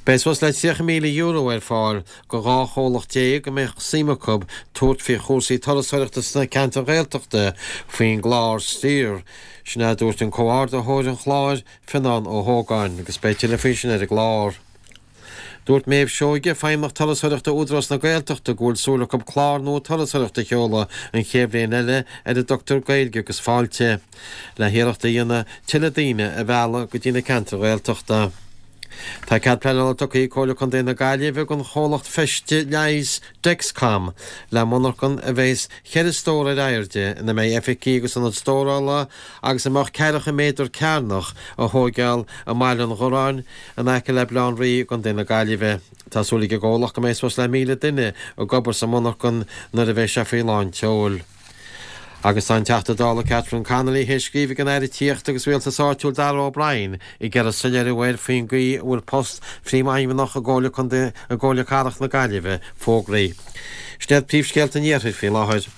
Beidh suas le tríocha míle euro ar fáil go dhá chomhlacht déag a mbeadh suim acu tabhairt faoi chúrsaí turasóireachta sna ceantair Ghaeltachta faoin gclár Stir. Sin é a dúirt an comhordaitheoir an chláir, Fionán Ó hÓgáin, agus beidh tuilleadh faoi sin ar an gclár. Dúirt Méabh Seoige, Feidhmeannach Turasóireachta Údarás na Gaeltachta, go bhfuil súil acu clár nua turasóireachta a sheoladh an chéad bhliain eile ar a dtugtar Gaeilge agus Fáilte, le hiarracht a dhéanamh tuilleadh daoine a mhealladh go dtí na ceantair Ghaeltachta. Tá cead pleanála tugtha ag Comhairle Contae na Gaillimhe don chomhlacht feiste leighis Dexcom le monarchan a bheas ceithre stór ar airde ina mbeidh oifigí agus ionad stórála agus a mbeadh ceathracha méadar cearnach a thóigeáil i mBaile an Ghorráin in aice le Baile Átha an Rí i gContae na Gaillimhe. Tá súil ag an gcomhlacht go mbeidh suas le míle duine ag obair sa monarchan nuair a bheidh sé faoi lán tseoil. Agus tá an Teachta Dála Catherine Connolly théis scríobh chuig an Aire Tithíochta agus Rialtais Áitiúil Darragh O'Brien ag iarraidh soiléiriú air faoin gcaoi a bhfuil post Phríomhfheidhmeannach i gComhairle Contae i gComhairle Cathrach na Gaillimhe fógraithe. Sin iad príomhscéalta an Iarthair faoi láthair.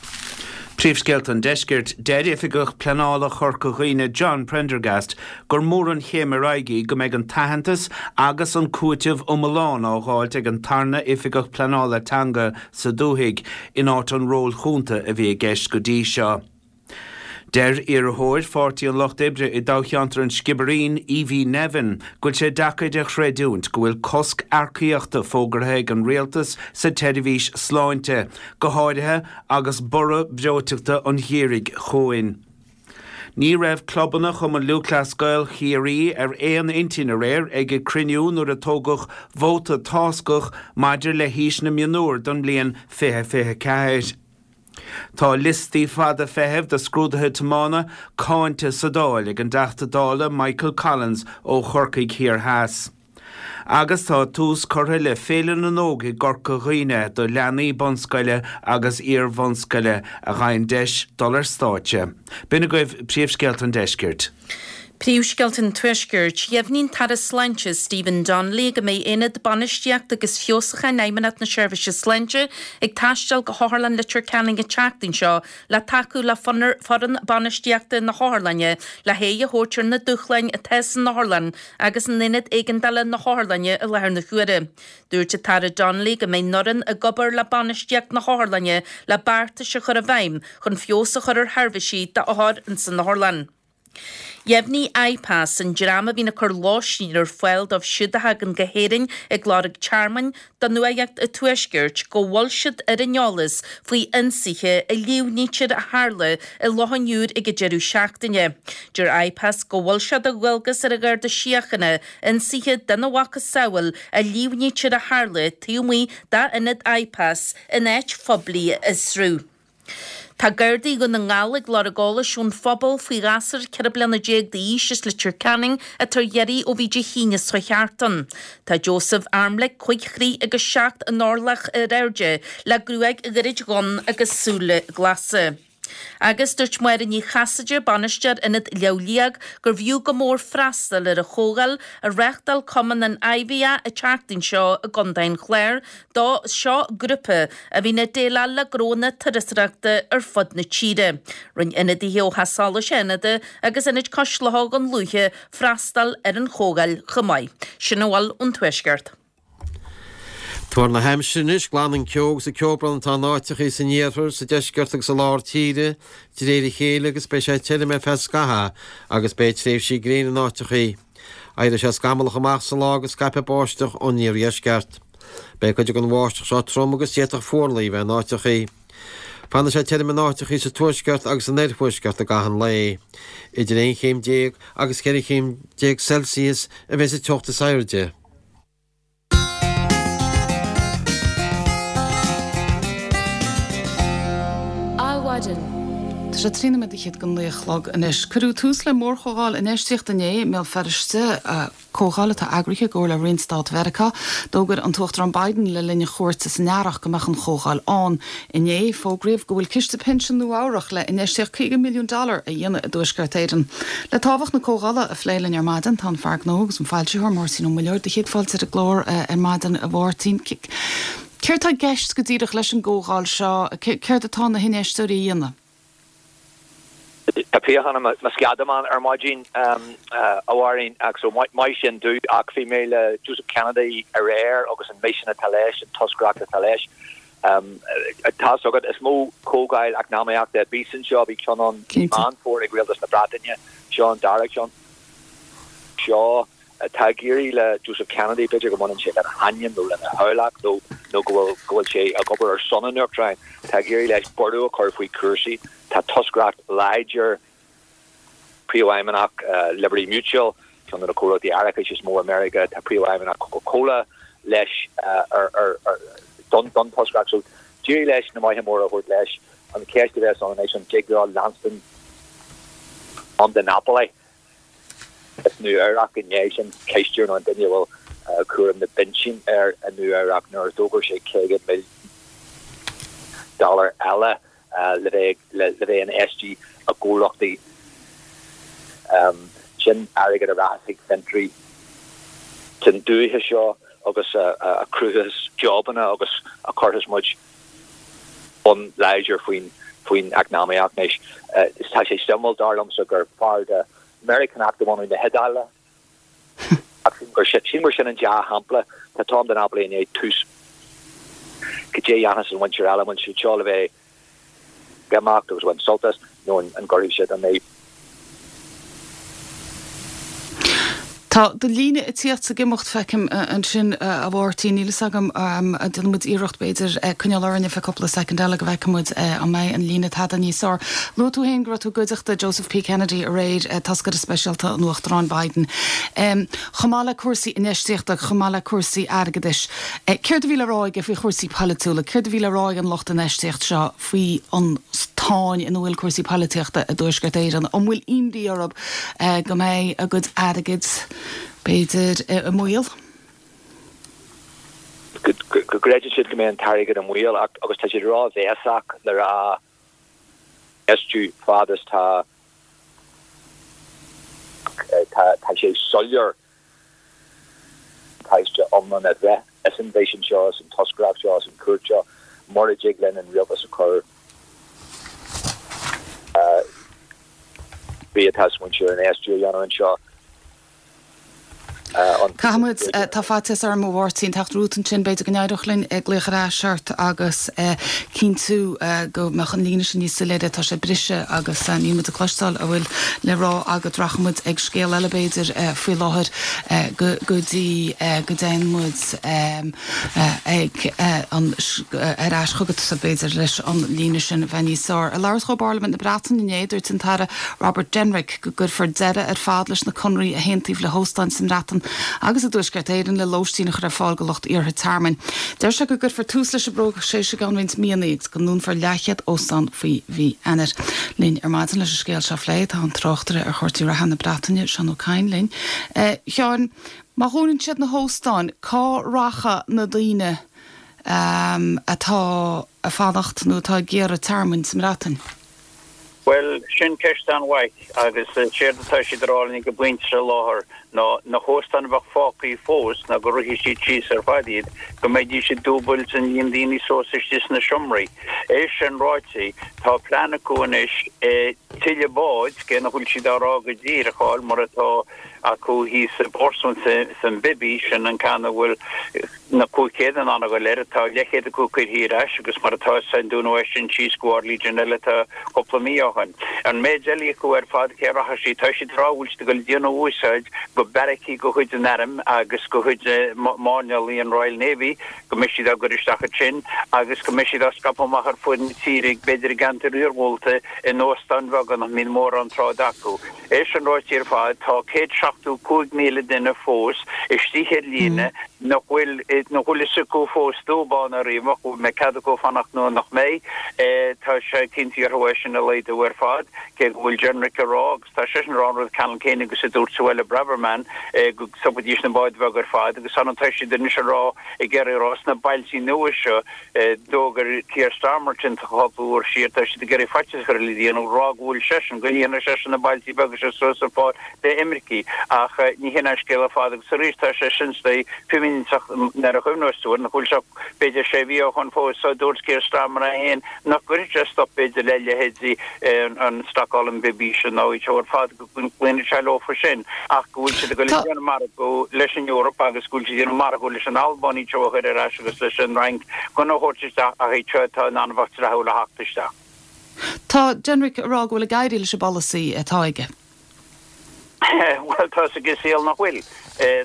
Príomhscéalta an Deiscirt, Deir Oifigeach Pleanála Chorca Dhuibhne John Prendergast gur mór an chéim ar aghaidh í go mbeidh an t-aitheantas agus an cúiteamh iomlán á dháilt ag an tarna Oifigeach Pleanála Teanga sa dúthaigh, in áit an ról chúnta a bhí i gceist go dtí seo. Deir iarrthóir Pháirtí an Lucht Oibre i dtoghcheantar an Sciobairín, Evie Nevin, go bhfuil sé deacair a chreidiúint go bhfuil cosc earcaíochta fógartha ag an rialtas sa tseirbhís sláinte, go háirithe agus borradh breoiteachta an gheimhridh chugainn. Ní raibh clubanna Chumann Lúthchleas Gael Chiarraí ar aon intinn aréir ag a gcruinniú nuair a tógadh vóta táscach maidir le haois na mionúr don mbliain fiche fiche ceathair. Tá liostaí fada feithimh do scrúduithe tiomána cáinte sa Dáil ag an dTeachta Dála Michael Collins ó Chorcaigh Thiar Theas. Agus tá tús curtha le Féile na nÓg i gCorca Dhuibhne do leanaí bunscoile agus iar-bhunscoile a gheibheann deis dul ar stáitse. B'in agaibh príomhscéalta an deiscirt. Príomhscéalta an Tuaiscirt, Dheimhnigh an tAire Sláinte Stephen Donnelly go mbeidh Aonad Bainistíochta agus Feabhsúcháin Fheidhmeannacht na Seirbhíse Sláinte ag taisteal go hOtharlann Leitir Ceanainn an tseachtain seo le tacú le foireann bainistíochta na hotharlainne le haghaidh a thabhairt ar na dúshláin atá san otharlann agus in Aonad Éigeandála na hotharlainne i láthair na huaire. Dúirt an tAire Donnelly go mbeidh an fhoireann ag obair le bainistíocht na hotharlainne le beartais a chur i bhfeidhm chun feabhas a chur ar sheirbhísí d'othair ins an otharlann. Dheimhnigh IPAS, an dream a bhíonn ag cur lóistín ar fáil dóibh siúd a thagann go hÉirinn ag lorg tearmainn, do Nuacht an Tuaiscirt go bhfuil siad ar an eolas faoi ionsaithe a líomhnaítear a tharla i Loch an Iúir ag an deireadh seachtaine. Deir IPAS go bhfuil sé de dhualgas ar an Gharda Síochána ionsaithe dena mhacasamhail a líomhnaítear a tharla taobh amuigh d'ionad IPAS in áit phoiblí a fhiosrú. Tá Gardaí Dhún na nGall ag lorg eolais ón phobal faoi ghasúr ceithre bliana déag d'aois as Leitir Ceanainn atá ar iarraidh ó bhí Dé hAoine seo thart ann. Tá Joseph Armlick cúig throigh agus seacht n-orlach ar airde, le gruaig ghairid dhonn agus súile glasa. Agus dúirt Máire Ní Chasaide, Bainisteoir Ionad Léamh Liag, gurbh fhiú go mór freastal ar an chomhdháil a reáchtáil Cumann an IVA an tseachtain seo i gContae an Chláir, do seo grúpa a bhíonn ag déileáil le gnónna turasóireachta ar fud na tíre. Rinne ionadaithe ó Theach Solais Fhánada agus Ionad Cois Locha Dhún Lúiche freastal ar an chomhdháil chomh maith. Sin a bhfuil ón Tuaisceart. Tuar na haimsire anois, glanann ceo agus an ceobhrán atá in áiteachaí san iarthar, sa deisceart agus i lár tíre de réir a chéile agus beidh sé tirim ar feadh scaithimh agus beidh tréimhsí gréine in áiteachaí. Éireoidh sé scamallach amach sa lá agus scaipfidh báisteach ón iardheisceart. Beidh cuid den bháisteach seo trom agus d'fhéadfadh fuarlaigh a bheith in áiteachaí. Fanfaidh sé tirim in áiteachaí sa tuaisceart agus san oirthuaisceart i gcaitheamh an lae. Idir aon chéim déag agus ceithre chéim déag Celsius a bheidh sa teocht is airde. Adhmhaidin. Tá sé trí nóiméad fhichead go naoi a chlog anois. Cuireadh tús le mórchomhdháil infheistíochta inné i mBéal Feirste, comhdháil atá eagraithe i gcomhar le Roinn Stáit Mheiriceá. D'fhógair an tUachtarán Biden le linn a chuairte san earrach go mbeadh an chomhdháil ann. Inné, fógraíodh go bhfuil ciste pinsin Nua-Eabhrac le infheistíocht caoga milliún dollar a dhéanamh i dTuaisceart Éireann. Le tábhacht na comhdhála a phlé linn ar maidin tá an fear gnó agus an foilsitheoir Máirtín Ó Muilleoir. Do chéad fáilte ar an gclár ar maidin, a Mháirtín. Céard tá i gceist go díreach leis an gcomhdháil seo? Céard atá na hinfheisteoirí a dhéanamh? Tá piachán i mo sceadamán ar maidin, a Mháirín, ach so maith sin domh, ach bhí mé le Joseph Kennedy aréir agus an misean atá leis, an toscaireacht atá leis. Tá's agat, is mó comhdháil eacnamaíochta a bíos anseo, bhí ceann ann i Meán Fómhair ag Rialtas na Breataine, seo an dara ceann. Seo atá ag éirí le Joseph Kennedy, b'fhéidir go mbaineann sé lena hainm nó lena theaghlach nó nó go bhfuil go bhfuil sé ag obair ar son an Uachtaráin, tá ag éirí leis borradh a chur faoi chúrsaí. Tá toscaireacht láidir Príomhfheidhmeannach Liberty Mutual, ceann de na comhlachtaí árachais is mó i Meiriceá, tá Príomhfheidhmeannach Coca-Cola leis ar ar ar don don toscaireacht. So d'éirigh leis na maithe móra a thabhairt leis. An cheist a bheas ann anois an dtig leo leanstan Tom DiNapoli As Nua Eabhrac i ndiaidh sin, cisteoir nó an duine a bhfuil cúram na bpinsean air i Nua Eabhrac nuair a d'fhógair sé caoga milliún dollar eile le bheith le bheith infheistithe i gcomhlachtaí. Sin airgead a rachas chuig fiontraí san dúiche seo agus a chruthaíos jobanna agus a chuirfeas muid bonn láidir faoin faoin eacnamaíocht anois. Tá sé suimiúil, dar liomsa, gur fear de Meiriceánach de bhunadh na hIodáile. Ach sílim gur sílim gur sin an dea-shampla. Tá Tom DiNapoli i ndiaidh tús. Cad é a dhéanfas an mhuintir eile, an bhfuil siad seo le bheith ag imeacht agus a bhaint sult as? nó an gcuirfidh siad an é. Tá do líne ag tíocht is ag imeacht, feicim ansin, a Mháirtín. Níl fhios agam, déanfaidh muid iarracht b'fhéidir coinneáil orainn ar feadh cúpla soicind eile go bhfeicfidh muid an mbeidh an líne tada níos fearr. Luaigh tú féin go raibh tú i gcuideachta Joseph P. Kennedy aréir, toscaire speisialta an Uachtaráin Biden. Chomh maith le cúrsaí infheistíochta, chomh maith le cúrsaí airgeadais, céard a bhí le rá aige faoi chúrsaí polaitiúla? Céard a bhí le rá ag an lucht infheistíocht seo faoi an tsáinn ina bhfuil cúrsaí polaitíochta i dTuaisceart Éireann? An bhfuil imní orthu go mbeidh a gcuid airgid, b'fhéidir, i mbaol? Go gcreideann siad go mbeidh an t-airgead i mbaol agus tá siad róbhéasach le rá infheistiú fad is tá tá sé soiléir buntáiste iomlán a bheith as an mhisean seo, as an toscaireacht seo, as an chuairt seo, mura dtig linn an rialtas a chur bhí atá smaointe ar infheistiú a dhéanamh anseo. Caithfidh muid, tá faitíos orm a Mháirtín, teacht romhat ansin, b'fhéidir go n-éireodh linn glaoch ar ais ort agus cinntiú go mbeadh an líne sin níos soiléire, tá sé briste agus níl muid ag cloisteáil a bhfuil le rá agat. Rachaidh muid ag scéal eile b'fhéidir faoi láthair go dtí go dtéann muid ag an ar ais chugatsa b'fhéidir leis an líne sin a bheith níos fearr. Ag labhairt dó i bParlaimint na Breataine inné, dúirt an tAire Robert Jenrick go gcuirfear deireadh ar fad leis na conarthaí a haontaíodh le hóstáin sa mBreatain agus i dTuaisceart Éireann le lóistín a chur ar fáil do lucht iarrtha tearmainn. Deir sé go gcuirfear tús leis an bpróiseas i gceann roinnt míonna agus go ndúnfar leathchéad óstán faoi mhí Eanáir. Linn ar maidin leis an scéal seo a phlé tá an tráchtaire ar chúrsaí reatha na Breataine, Seán Ó Cadhain linn. A Sheáin, má dhúnann siad na hóstáin, cá rachaidh na daoine atá ag fanacht nó atá ag iarraidh tearmainn sa mBreatain? Bhuel, sin ceist an-mhaith agus séard atá siad a rá linn ag an bpointe seo i láthair ná na hóstáin a bheadh fágthaí fós ná go rithfidh siad síos ar fad iad, go mbeidís ag dúbailt an líon daoine suas istigh sna seomraí. É sin ráite, tá plean acu anois tuilleadh báid, cé nach bhfuil siad á rá go díreach, a fháil mar atá acu thíos i bPortsmouth san Bibby, sin an ceann a bhfuil na cúig chéad in ann a ghoil air, tá leathchéad acu curtha ar ais agus mar atá sa Dún Weston síos go bharr Legion eile atá cúpla mí ó shin. An méid eile acu ar fad, cé rachaidh siad? Tá siad ag rá go bhfuil siad ag dul ag déanamh úsáid go beairicí de chuid an Airm agus de chuid máirneálaí an Royal Navy, go mbeidh siad á gcur isteach ansin agus go mbeidh siad á scaipeadh amach ar fud na tíre, b'fhéidir i gceantair iargúlta, in óstáin bheaga nach mbíonn mórán tráchta acu. É sin ráite ar fad, tá céad seachtó cúig míle duine fós istigh ar líne nach bhfuil nach bhfuil fhios acu fós dúbán ariamh an mbeidh cead acu fanacht nó nach mbeidh. Tá sé cinnte orthu é sin a laghdú ar fad, cé go bhfuil Jenrick ag rá, agus tá seisean ag rá an rud ceannann céanna agus a dúirt Suella Braverman, go stopfaidís na báid bheaga ar fad agus ann tá siad anois ag rá, ag iarraidh a rá sna bailtí nua seo, D'fhógair Keir Starmer sin cúpla uair siar, tá siad ag iarraidh faitíos a chur ar le déanamh, rá go bhfuil seisean, go líonfaidh seisean na bailtí beaga seo suas ar fáil d'imircigh. Ach ní hin an scéal ar fad agus arís tá sé sin istigh fimíneach nuair a chuimhneos tú air, nach bhfuil sé b'fhéidir sé mhí ó shoin fós, so dúirt Keir Starmer é féin nach gcuirfeadh sé stop b'fhéidir le leithéidí an stocáil an Bibby sin nó iad seo ar fad. go gcloífidh sé leofa sin ach go bhfuil siad ag dul ag déanamh margadh leis an Eoraip agus go bhfuil siad ag déanamh margadh leis an Albáin iad seo a chur ar ais agus leis an Fhrainc gan a thabhairt isteach ach iad seo atá in ann a bheith tráthúil a theacht isteach. Tá Jenrick ag rá go bhfuil ag éirí leis an bpolasaí atá aige. Bhuel, tá 'fhios ag an saol nach bhfuil.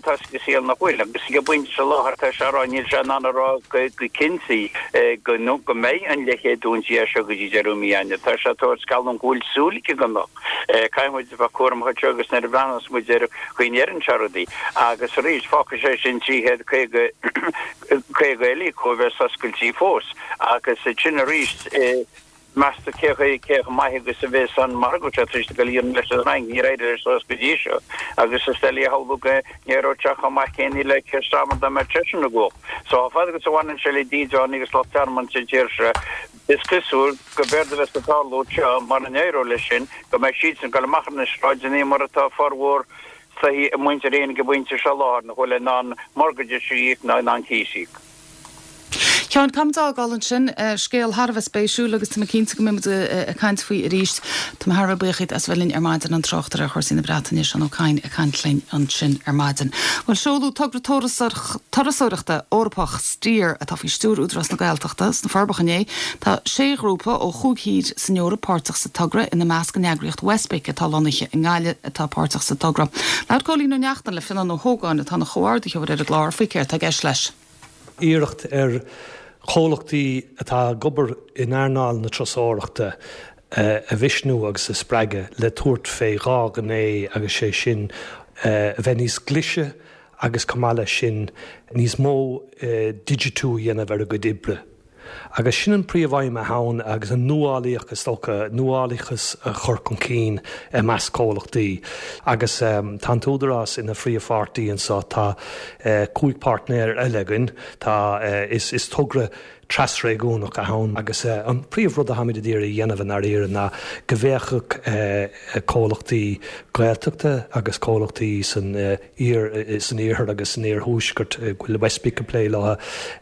Tá 'fhios ag an saol nach bhfuil. Agus ag an bpointe seo i láthair, tá sé á rá, níl sé in ann a rá go cinnte go go mbeidh an leathchéad dúnta as seo go dtí deireadh mí Eanáir. Tá sé ag tabhairt geallúint go bhfuil súil aige go mbeadh. Caithfidh muid a bheith cúramach anseo agus nuair a bhreathnós muid ar chaoi a ndeireann sé rudaí. Agus arís, fágfaidh sé sin trí chéad caoga caoga eile acu a bheas oscailte fós. Agus sin arís, meas tú cé chomh maith agus a bheas an margadh seo tar éis dul a dhéanamh leis an Fhrainc? Níor éirigh leis suas go dtí seo agus is doiligh a shamhlú go n-éireodh sé chomh maith céanna le Keir Starmer dá mbeadh seisean i gcumhacht. So chomh fada agus a bhaineann sé le dídeánaigh agus lucht tearmainn sa tír seo, is cosúil go b'éard a bheas ag tarlú anseo, mura n-éireoidh leis sin, go mbeidh siadsan ag dul amach ar na sráideanna mar atá formhór saoithe muintir Éireann ag an bpointe seo i láthair, nach bhfuil in ann mortgages a íoc ná in ann cíos a íoc. Ceann cam d'fhágáil ansin, scéal thar a bheith spéisiúil agus tá mé cinnte go mbeidh muid ag caint faoi arís. Tá mé thar a bheith buíoch as bheith linn ar maidin an tráchtaire ar chúrsaí na Breataine Seán Ó Cadhain ag caint linn ansin ar maidin. Bhuel seoladh togra turasóireachta Eorpach Steer atá faoi stiúir Údarás na Gaeltachta sna Forbacha inné. Tá sé ghrúpa ó chúig thír san Eoraip páirteach sa togra ina measc an eagraíocht WestBIC atá lonnaithe i nGaillimh atá páirteach sa togra. Labhair Cóilín Ó Neachtain le Fionnán Ó hÓgáin atá ina chomhordaitheoir ar an gclár faoi céard atá i gceist leis. Iarracht ar chomhlachtaí atá ag obair in earnáil na turasóireachta a mhisniú agus a spreagadh le tabhairt fé dhá ghné agus sé sin a bheith níos glise agus chomh maith leis sin níos mó digitiú a dhéanamh ar a gcuid oibre. Agus sin an príomhaidhm atá ann agus an nuálaíocht is dócha, nuálaíochas a chur chun cinn i measc comhlachtaí. Agus tá an tÚdarás ina phríomhpháirtí anseo, tá cúig páirtnéir eile againn, tá is is togra trasréigiúnach atá ann agus an príomhrud atáimid ag iarraidh a dhéanamh i ndáiríre ná go bhféachfadh comhlachtaí Gaeltachta agus comhlachtaí san san iarthar agus san iarthuaisceart go bhfuil WestBIC ag plé leo ó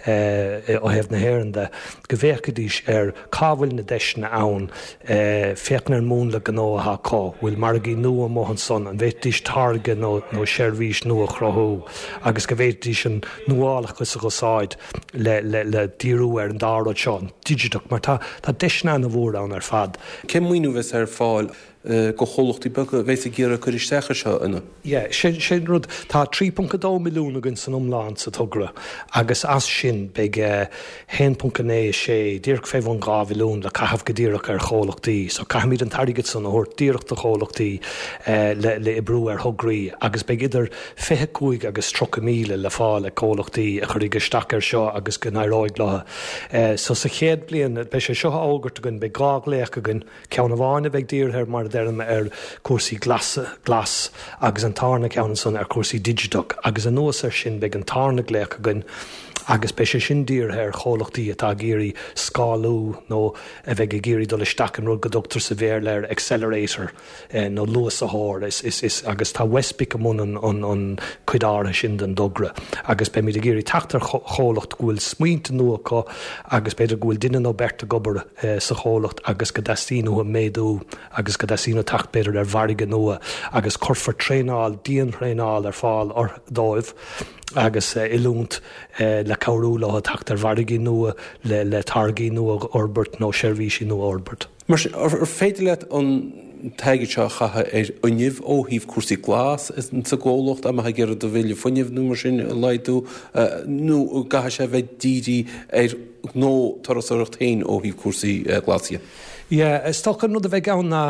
thaobh na hÉireann de, go bhféachfaidís ar cá bhfuil na deiseanna ann, féachaint ar an múnla gnó atá acu, bhfuil margaí nua amuigh ansan, an bhféadfaidís táirge nó nó seirbhís nua a chruthú agus go bhféadfaidís an nuálachas a úsáid le le le díriú ar an dá rud seo, an digiteach, mar tá tá deiseanna an-mhór ann ar fad. Cén maoiniú a bheas ar fáil do chomhlachtaí beaga a bheas ag iarraidh cur isteach air seo ina? Yeah, sin sin rud. Tá trí ponc a dó milliún againn san iomlán sa togra agus as sin beidh haon ponc a naoi a sé, díreach fé bhun dhá mhilliún le caitheamh go díreach ar chomhlachtaí. So caithfimid an t-airgead san a thabhairt díreach do chomhlachtaí le le oibriú ar thograí agus beidh idir fiche cúig agus tríocha míle le fáil ag comhlachtaí a chuirfidh isteach air seo agus go n-éireoidh leo. So sa chéad bhliain, beidh sé seo á fhógairt againn, beidh dhá ghlaoch againn, ceann amháin a bheidh dírithe ar mar a deirim ar chúrsaí glasa, glas agus an tarna ceann ansan ar chúrsaí digiteach agus anuas air sin beidh an tarna glaoch againn agus beidh sé sin dírithe ar chomhlachtaí atá ag iarraidh scálú nó a bheidh ag iarraidh dul isteach in rud go dtugtar sa Bhéarla air accelerator nó luasaitheoir is, is, is, agus tá WestBIC i mbun an, an, an cuid áirithe sin den dtogra agus beimid ag iarraidh teacht ar chomhlacht go bhfuil smaointe nua acu agus b'fhéidir go bhfuil duine nó beirt ag obair sa chomhlacht agus go dteastaíonn uathu méadú agus go dteastaíonn uathu teacht b'fhéidir ar mhargadh nua agus cuirfear traenáil, dianthraenáil ar fáil dóibh agus oiliúint le cabhrú leo teacht ar mhargaí nua le le táirgí nua a fhorbairt nó seirbhísí nua a fhorbairt. Mar sin, ar féidir leat an t-airgead seo a chaitheamh ar fhuinneamh ó thaobh cúrsaí glas sa gcomhlacht, dá mbeifeá ag iarraidh do bhille fuinnimh nó mar sin a laghdú, nó an gcaithfidh sé a bheith dírithe ar ghnó turasóireacht féin ó thaobh cúrsaí glasa? Yeah, is dócha an rud a bheidh ann ná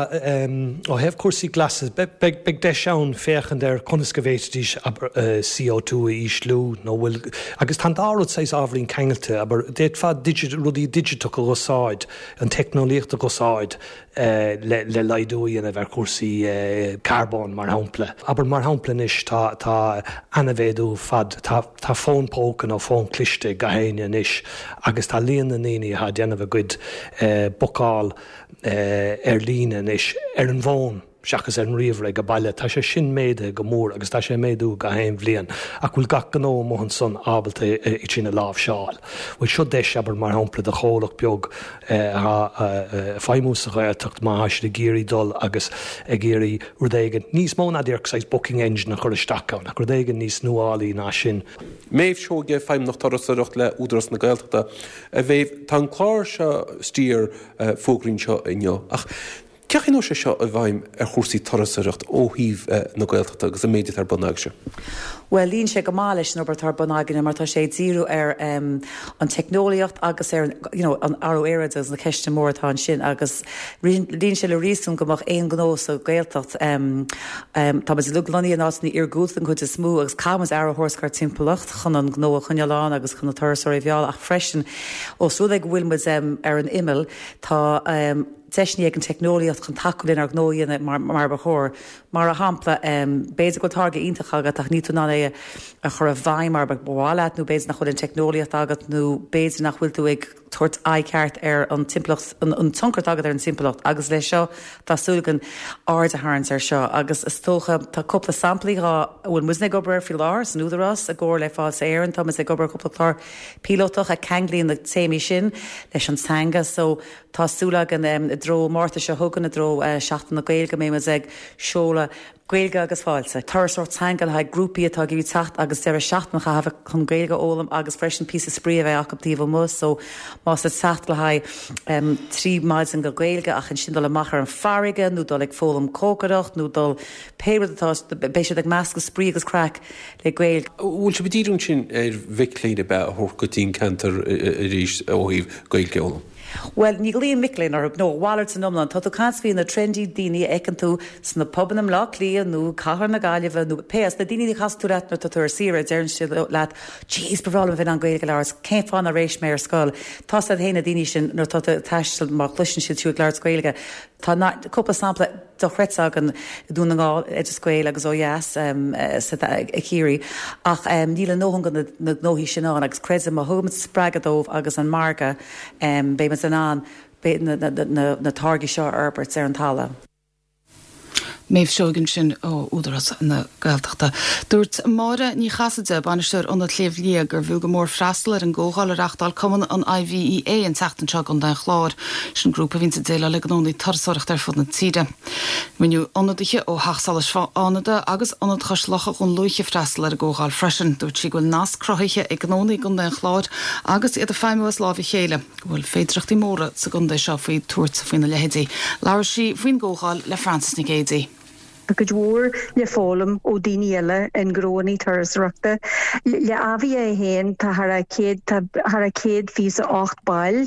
ó thaobh cúrsaí glasa, beidh beidh deis ann féachaint ar conas go bhféadfaidís abair C O two a ísliú nó bhfuil agus tá an dá rud saghas ábhairín ceangailte, abair d'fhéadfá digit rudaí digiteach a úsáid, an teicneolaíocht a úsáid le le laghdú a dhéanamh ar chúrsaí carbóin mar shampla. Abair mar shampla anois tá tá an-mhéadú fad tá tá fón póca nó fón cliste ag gach éinne anois agus tá líon na ndaoine atá ag déanamh a gcuid bookáil ar líne anois ar an bhfón seachas ar an ríomhaire ag baile. Tá sé sin méadaithe go mór agus tá sé ag méadú gach aon bhliain. Ach bhfuil gach gnó amuigh ansan ábalta é sin a láimhseáil? Bhuel seo deis, abair, mar shampla do chomhlacht beag atá ag feidhmiú sa Ghaeltacht má tá siad ag iarraidh dul agus ag iarraidh rud éigin níos mó ná díreach saghas booking engine a chur isteach ann ach rud éigin níos nuálaí ná sin. Méabh Seoige, Feidhmeannach Turasóireacht le Údarás na Gaeltachta. A Mhéabh, tá an clár seo Steer fógraithe anseo inniu ach cén chaoi a ndeachaigh sé seo i bhfeidhm ar chúrsaí turasóireacht ó thaobh na Gaeltachta agus an méid atá ar bun agaibhse? Bhuel, luíonn sé go maith leis an obair atá ar bun againne mar tá sé ag díriú ar an teicneolaíocht agus ar you know, an athrú aeráide agus na ceisteanna móra atá ansin agus luíonn sé le réasún go mbeadh aon ghnó sa Ghaeltacht tá muid uilig lonnaithe in áiteanna iargúlta den chuid is mó agus caithfidh muid aire a thabhairt dár dtimpeallacht chun an gnó a choinneáil ann agus chun na turasóirí a mhealladh ach freisin ós rud é go bhfuil muid ar an imeall tá deiseanna ag an teicneolaíocht chun tacú lenár ngnó a dhéanamh mar mar ba chóir. Mar shampla, b'fhéidir go bhfuil táirge iontach agat ach níl tú in ann é a chur i bhfeidhm mar ba mhaith leat nó b'fhéidir nach bhfuil an teicneolaíocht agat nó b'fhéidir nach bhfuil tú ag tabhairt aghaidh ceart ar an timpeallacht, an tionchar atá agat ar an timpeallacht agus leis seo tá súil againn aird a tharraingt air seo agus is dócha tá cúpla samplaí dhá a bhfuil muidne ag obair air faoi láthair san Údarás i gcomhar le Fáilte Éireann tá muid ag obair ar cúpla clár píolótach a cheanglaíonn na téamaí sin leis an teanga so tá súil againn i dtreo Márta seo chugainn i dtreo Seachtain na Gaeilge go mbeidh muid ag seoladh Gaeilge agus Fáilte. Turasóireacht teanga le haghaidh grúpaí atá ag iarraidh teacht agus deireadh seachtaine a chaitheamh chun Gaeilge a fhoghlaim agus freisin píosa spraoi a bheith acu taobh amuigh so más ag teacht le haghaidh trí maidin go Gaeilge ach ansin dul amach ar an farraige nó dul ag foghlaim cócaireacht nó dul pé rud atá beidh siad ag meascadh spraoi agus craic le Gaeilge. Bhfuil sibh ag díriú ansin ar mhic léinn a bheith a thabhairt go dtí an ceantar arís ó thaobh Gaeilge a fhoghlaim? Bhuel, ní ghlaoim mic léinn orthu, nó a mhalairt san iomlán. Tá tú ag caint faoi na trendy daoine a fheiceann tú sna pubanna i mBleá Cliath nó Cathair na Gaillimhe nó pé áit, na daoine a chasann tú leat nuair atá tú ar saoire, deireann siad leat, Jeez, ba bhreá liom a bheith in ann Gaeilge a labhairt, cén fáth nár éist mé ar scoil? Tá siad féin na daoine sin nuair atá tú ag taisteal má chloiseann siad tú ag labhairt Gaeilge. Tá cúpla sampla dochreidte againn i Dún na nGall, Oideas Gael agus ó dheas i Ciarraí ach níl a ndóthain de na gnóthaí sin ann agus creidim má thugaimid spreagadh dóibh agus an margadh beimid in ann na táirgí seo a fhorbairt ar an talamh. Méabh Seoige ansin ó Údarás na Gaeltachta. Dúirt Máire Ní Chasaide, bainisteoir Ionad Shliabh Liag, gurbh fhiú go mór freastal ar an gcomhdháil a reáchtáil Cumann an IVEA an tseachtain seo i gContae an Chláir. Sin grúpa a bhíonns ag déileáil le gnónna turasóireachta ar fud na tíre. Rinneadh ionadaithe ó Theach Solais Fhánada agus Ionad Chois Locha Dhún Lúiche freastal ar an gcomhdháil freisin. Dúirt sí go bhfuil nasc cruthaithe ag gnónna i gContae an Chláir agus iad ag feidhmiú as láimh a chéile, go bhfuil féidearthachtaí móra sa gcontae seo faoi tabhairt faoina leithéidí. Labhair sí faoin gcomhdháil le Frances Nic Géadaigh. Tá cuid mhór le foghlaim ó daoine eile i ngnóanna turasóireachta. Le AVIA féin tá thar a céad tá thar a céad fiche a ocht ball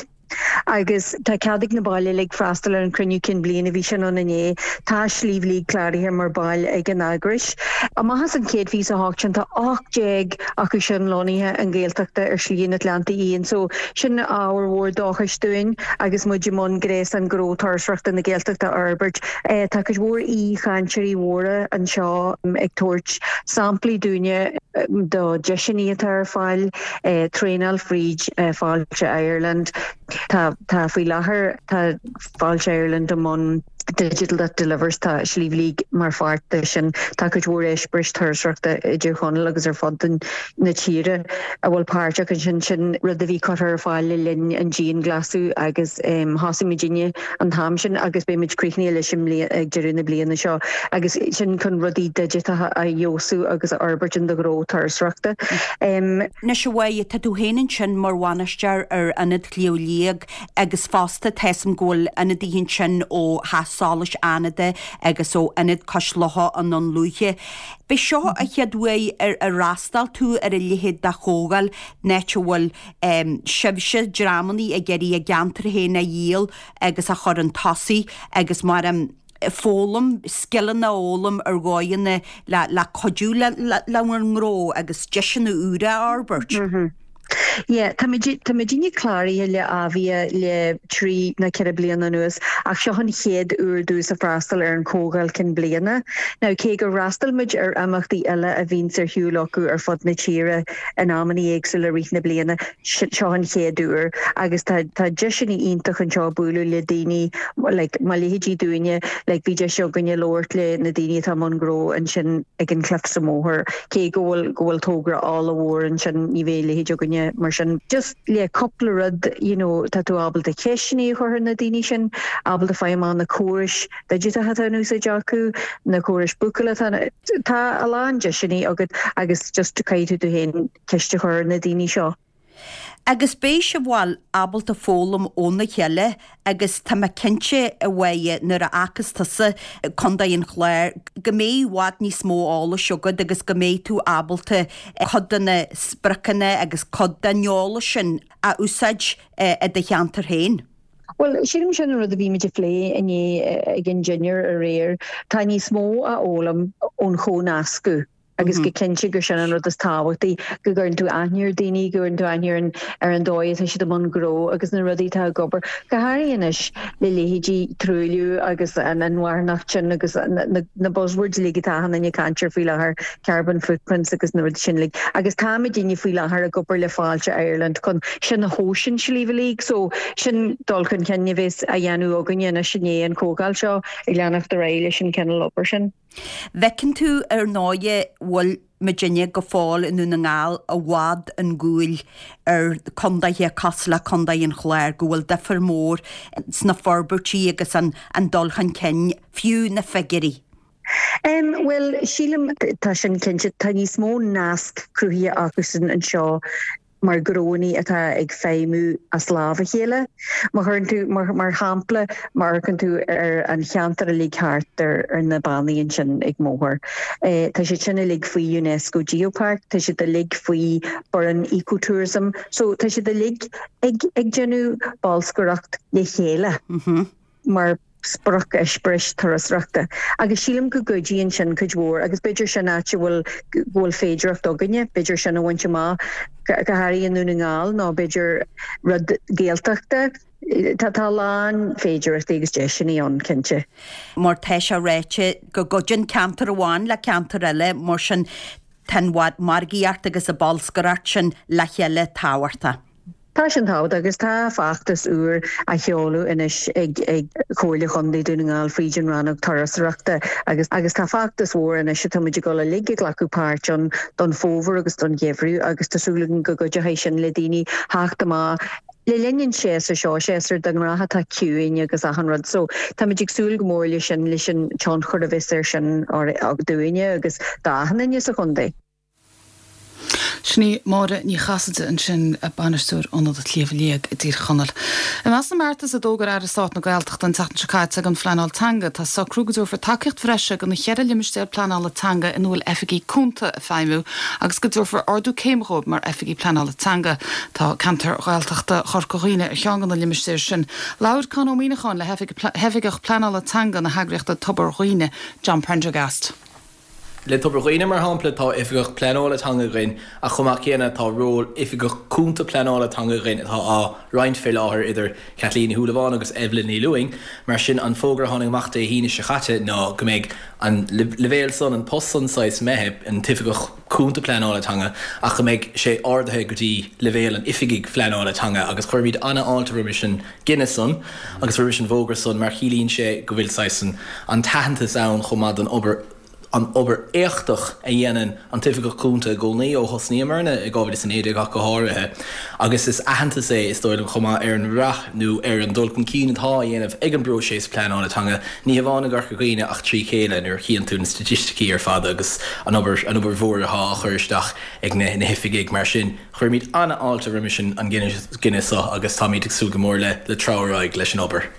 agus tá cead ag na baill uilig freastal ar an cruinniú cinn bliana bhí sin ann inné. Tá Sliabh Liag cláraithe mar ball ag an eagrais. Amach as an céad fiche a hocht sin tá ocht déag acu sin lonnaithe i nGaeltachta ar Shlí an Atlantaigh Fhiáin so sin ábhar mhór dóchais dúinn agus muid i mbun gréasán gnó turasóireachta na Gaeltachta a fhorbairt. Tá cuid mhór aoichainteoirí mhóra anseo ag tabhairt samplaí dúinne do deiseanna atá ar fáil, traenáil fríd Fáilte Ireland. Tá tá faoi láthair tá Fáilte Ireland i mbun Digital That Delivers tá Sliabh Liag mar pháirt de sin. Tá cuid mhór eispéiris turasóireachta i dTír Chonaill agus ar fud na tíre a bhfuil páirteach ansin sin rud a bhí curtha ar fáil le linn an dianghlasáil agus thosaigh muidinne an t-am sin agus beidh muid críochnaithe leis an ag deireadh na bliana seo agus sin chun rudaí digiteacha a fheabhsú agus a fhorbairt in do ghnó turasóireachta. Anois a Mháire, tá tú féin ansin mar bhainisteoir ar Ionad Shliabh Liag agus fosta tá a fhios agam go bhfuil ionadaithe ansin ó Theach Solais Fhánada agus ó Ionad Cois Locha i nDún Lúiche. B'é seo an chéad uair ar ar fhreastail tú ar a leithéid de chomhdháil, in áit a bhfuil sibhse, dreamannaí ag iarraidh a gceantar féin a dhíol agus a chur chun tosaigh agus mar foghlaim, scileanna a fhoghlaim ar dhóigheanna le le cuidiú le le bhur ngnó agus deiseanna úra a fhorbairt. Yeah, tá tá muidinne cláraithe le AVIA le trí nó ceithre bliana anuas ach seo an chéad uair dúinn freastal ar an chomhdháil cinn bliana. Now cé gur fhreastail muid ar imeachtaí eile a bhíonns ar siúl acu ar fud na tíre in amanna éagsúla rith na bliana seo an chéad uair agus tá tá deiseanna iontach anseo bualadh le daoine like, mar leithéidí dúinne like, bhí deis againne labhairt le na daoine atá i mbun gnó ansin ag an Cliff sa mBóthar cé go bhfuil go bhfuil togra ollmhór ansin ní bheidh leithéid againne mar sin just le cúpla rud you know, tá tú ábalta ceisteanna a chur ar na daoine sin ábalta fáil amach na córais digiteacha atá in úsáid acu na córais bookála tá tá a lán deiseanna agat agus just caithfidh tú féin ceist a chur ar na daoine seo. Agus beidh sibh bhuel ábalta foghlaim óna chéile agus tá mé cinnte a Mháire nuair a fhágfas tusa Contae an Chláir go mbeidh i bhfad níos mó eolais agat agus go mbeidh tú ábalta cuid de na spriocanna agus cuid den eolas sin a úsáid i do cheantar féin. Well sílim sin an rud a bhí muid ag plé inné ag an dinnéar aréir, tá níos mó a fhoghlaim ón chomhnascadh. Agus go cinnte gur sin an rud is tábhachtaí go gcuireann tú aithne ar daoine, go gcuireann tú aithne ar an ar an dóigh atá siad i mbun gnó agus na rudaí atá ag obair. Go háirithe anois le leithéidí truailliú agus an inmharthanacht sin agus na na buzzwords uilig atá achan duine ag caint air faoi láthair, carbon footprints agus na rudaí sin uilig. Agus táimidne faoi láthair ag obair le Fáilte Ireland chun sin a thomhas an Sliabh Liag so sin dul chun cinn a bheas á dhéanamh againne anois i ndiaidh an chomhdháil seo ag leanacht ar aghaidh leis an cineál obair sin. Bhfeiceann tú ar ndóighe bhfuil muidinne go fóill i nDún na nGall i bhfad 'on gcúl ar condaethe cosúil le Condae an Chláir, go bhfuil difear mór sna forbairtí agus an an dul chun cinn, fiú na figiúirí. Em, bhuel, sílim, tá sin cinnte, tá níos mó nasc cruthaithe acusan anseo mar ghnóanna atá ag feidhmiú as lámh a chéile. Má chuireann tú, mar, mar shampla, má amharcann tú ar an cheantar uilig thart ar, ar na bannaí ansin ag Moher, eh, tá siad sin uilig faoi UNESCO Geopark, tá siad uilig faoi Burren Ecotourism, so tá siad uilig ag, ag déanamh bolscaireacht le chéile. Mm -hmm. Mar sprioc eispéiris turasóireachta. Agus sílim go gcuidíonn sin cuid mhór agus b'fhéidir sin áit a bhfuil go bhfuil féidearthacht againne, b'fhéidir sin a bhaint amach go háirithe i nDún na nGall nó b'fhéidir rud Gaeltachta. Tá tá a lán féidearthachtaí agus deiseanna ann, cinnte. Mar tá sé ráite go gcuidíonn ceantar amháin le ceantar eile, mar sin tá an mhargaíocht agus an bholscaireacht sin le chéile tábhachtach. Tá sin tábhachtach agus tá feachtas úr á sheoladh anois ag ag Comhairle Chontae Dún na nGall fríd an rannóg turasóireachta agus agus tá feachtas mhór anois atá muid ag dul uilig ag glacadh páirt ann don fómhar agus don gheimhreadh agus tá súil againn go gcuideoidh sin le daoine theacht amach le linn an séasúr seo, séasúr de ghnáth atá ciúin agus achan rud so táimid ag súil go mór leis sin leis an tionchar a bheas air sin dúinne agus d'achan duine sa chontae. Sin í Máire Ní Chasaide ansin, Bainisteoir Ionad Shliabh Liag i dTír Chonaill. I measc na mbeartas a d'fhógair Aire Stáit na Gaeltachta an tseachtain seo caite don phleanáil teanga tá socrú go dtabharfar tacaíocht bhreise do na ceithre limistéar pleanála teanga ina bhfuil oifigigh cúnta ag feidhmiú agus go dtabharfar ardú céime dhóibh mar oifigigh pleanála teanga. Tá ceantar Ghaeltachta Chorca Dhuibhne ar cheann de na limistéir sin. Labhair Conn Ó Muíneacháin le hoifigeach pleanála teanga na heagraíochta Tobar Dhuibhne, John Prendergast. Le Tobar Dhuibhne, mar shampla, tá Oifigeach Pleanála Teanga againn ach chomh maith céanna tá ról Oifigeach Cúnta Pleanála Teanga againn atá á roinnt fé láthair idir Kathleen Ní Shúilleabháin agus Evelyn Ní Lúing. Mar sin, an fógra a tháinig amach Dé hAoine seo chaite ná go mbeidh an leibhéal san, an post san saghas imithe, an tOifigeach Cúnta Pleanála Teanga, ach go mbeidh sé ardaithe go dtí leibhéal an Oifigigh Phleanála Teanga agus cuirimid an-fháilte roimis an gcinneadh san agus roimis an bhfógra san mar chiallaíonn sé go bhfuil saghas an t-aitheantas ann chomh maith don obair an obair éachtach a dhéanann an tOifigeach Cúnta i gcónaí, ó thosnaíomarna i dhá mhíle is a naoi déag ach go háirithe, agus is aitheantas é, is dóigh liom, chomh maith ar an rath nó ar an dul chun cinn atá á dhéanamh ag an bpróiseas pleanála teanga, ní hamháin i gCorca Dhuibhne ach trí chéile nuair a chíonn tú na staitisticí ar fad agus an obair an obair mhór atá á chur isteach ag na na hoifigigh. Mar sin, cuirimid an-fháilte roimis an gcinneadh seo agus táimid ag súil go mór le le treabhadh ar aghaidh leis an obair.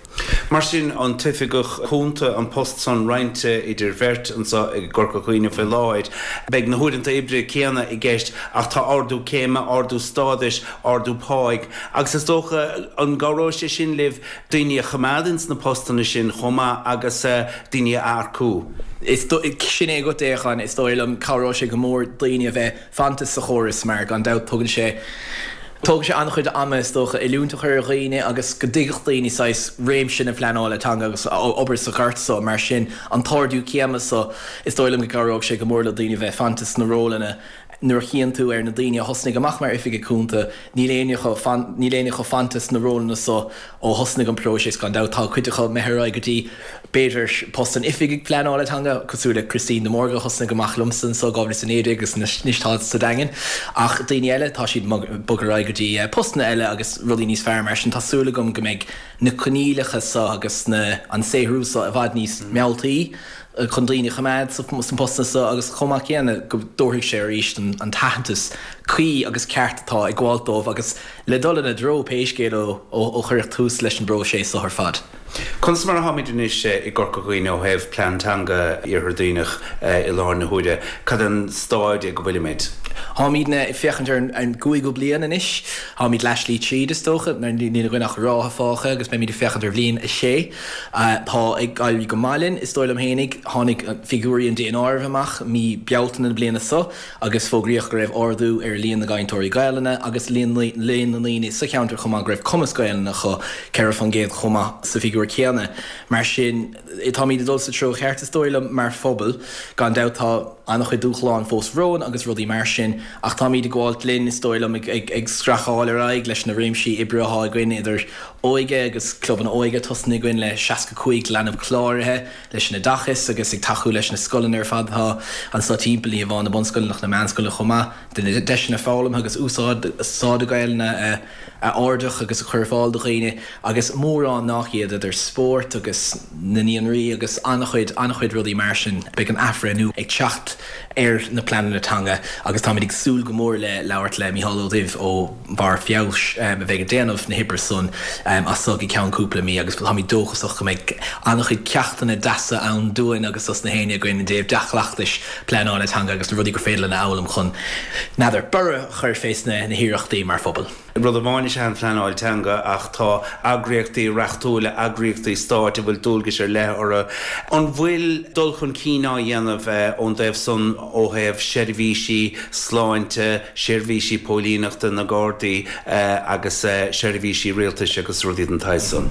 Mar sin, an tOifigeach Cúnta, an post san roinnte idir bheirt anseo i gCorca Dhuibhne faoi láthair. Beidh na huaireanta oibre céanna i gceist ach tá ardú céime, ardú stádais, ardú páigh agus is dócha, an gcabhróidh sé sin libh daoine a choimeád ins na postanna sin chomh maith agus daoine a earcú? Is sin é agat, a Chon, is dóigh liom, cabhróidh sé go mór daoine a bheith fanta sa chóras mar gan dabht tugann sé, Tógann sé an-chuid ama, is dócha, oiliúint a chur ar dhaoine agus go dtuigfeadh daoine saghas réimse na pleanála teanga agus obair sa ghort so. Mar sin, an t-ardú céime so, is dóigh liom go gcabhróidh sé go mór le daoine bheith fanta sna rólanna. Nuair a chíonn tú ar na daoine a thosnaigh amach mar oifigigh cúnta, níl éinne acu, níl éinne acu fanta sna rólanna so ó thosnaigh an próiseas, gan dabht. Tá cuid acu imithe ar aghaidh go dtí, b'fhéidir, post an oifigigh pleanála teanga, cosúil le Christine de Mórdha a thosnaigh amach liomsa anso dhá mhíle is a naoi déag agus anois tá sa Daingean. Ach daoine eile, tá siad ag bogadh ar aghaidh go dtí postanna eile agus rudaí níos fearr. Mar sin, tá súil agam go mbeidh na coinníollacha so agus na an saothrú so i bhfad níos mealltaí chun daoine a choimeád sna postanna so agus chomh maith céanna go dtabharfaidh sé arís an t-aitheantas cuí agus ceart atá ag gabháilt dóibh agus le dul ina dtreo pé scéal é ó cuireadh tús leis an bpróiseas so ar fad. Conas mar atáimid anois i gCorca Dhuibhne ó thaobh Plean Teanga Iarthar Duibhneach i láthair na huaire? Cad é an stáid ag a bhfuilimid? Táimidne ag féachaint ar an gcúigiú bliain anois, táimid leathshlí tríd is dócha, mar níl againn ach ráithe fágtha agus beimid ag féachaint ar bhliain a sé. Tá ag éirí go maith linn, is dóigh liom fhéinig. Tháinig figiúirí an daonáirimh amach mí Bealtaine na bliana seo agus fógraíodh go raibh ardú ar líon na gcainteoirí Gaelainne agus líon na ndaoine sa cheantar chomh maith go raibh cumas Gaelainne acu, ceithre faoin gcéad chomh maith sa bhfigiúr céanna. Mar sin, táimid ag dul sa treo cheart is dóigh liom mar phobal. Gan dabht tá an-chuid dúshlán fós romhainn agus rudaí mar sin ach táimid ag gabháilt linn is dóigh liom ag scracháil ar aghaidh leis na réimsí oibre atá againn idir óige agus clubanna óige tosnaithe againn le seasca cúig leanbh cláraithe leis an oideachas agus ag tacú leis na scoileanna ar fad atá anso timpeall ní hamháin na bunscoileanna ach na meánscoileanna chomh maith de na deiseanna foghlamtha agus úsáide Gaelainne a a ardach agus a chur ar fáil do dhaoine agus mórán nach iad idir spórt agus na naíonraí agus an-chuid, an-chuid rudaí mar sin. Beidh an athbhreithniú ag teacht ar na pleananna teanga agus táimid ag súil go mór le labhairt le Mícheál Ó Duibh ó Bharr Feabhais a bheidh ag déanamh na hoibre san as so go ceann cúpla mí agus táimid dóchasach go mbeidh an-chuid ceachtanna deasa ann dúinn agus dos na héinne againn i dtaobh dea-chleachtais pleanála teanga agus na rudaí gur féidir linn a fhoghlaim chun, n'fheadar, borradh a chur fés na hiarrachtaí mar phobal. Rud amháin is ea an phleanáil teanga ach tá eagraíochtaí reachtúla, eagraíochtaí stáit a bhfuil dualgais ar leith orthu. An bhfuil dul chun cinn á dhéanamh ón dtaobh san ó thaobh seirbhísí sláinte, seirbhísí póilíneachta, na Gardaí agus seirbhísí rialtais agus rudaí den tsaghas san?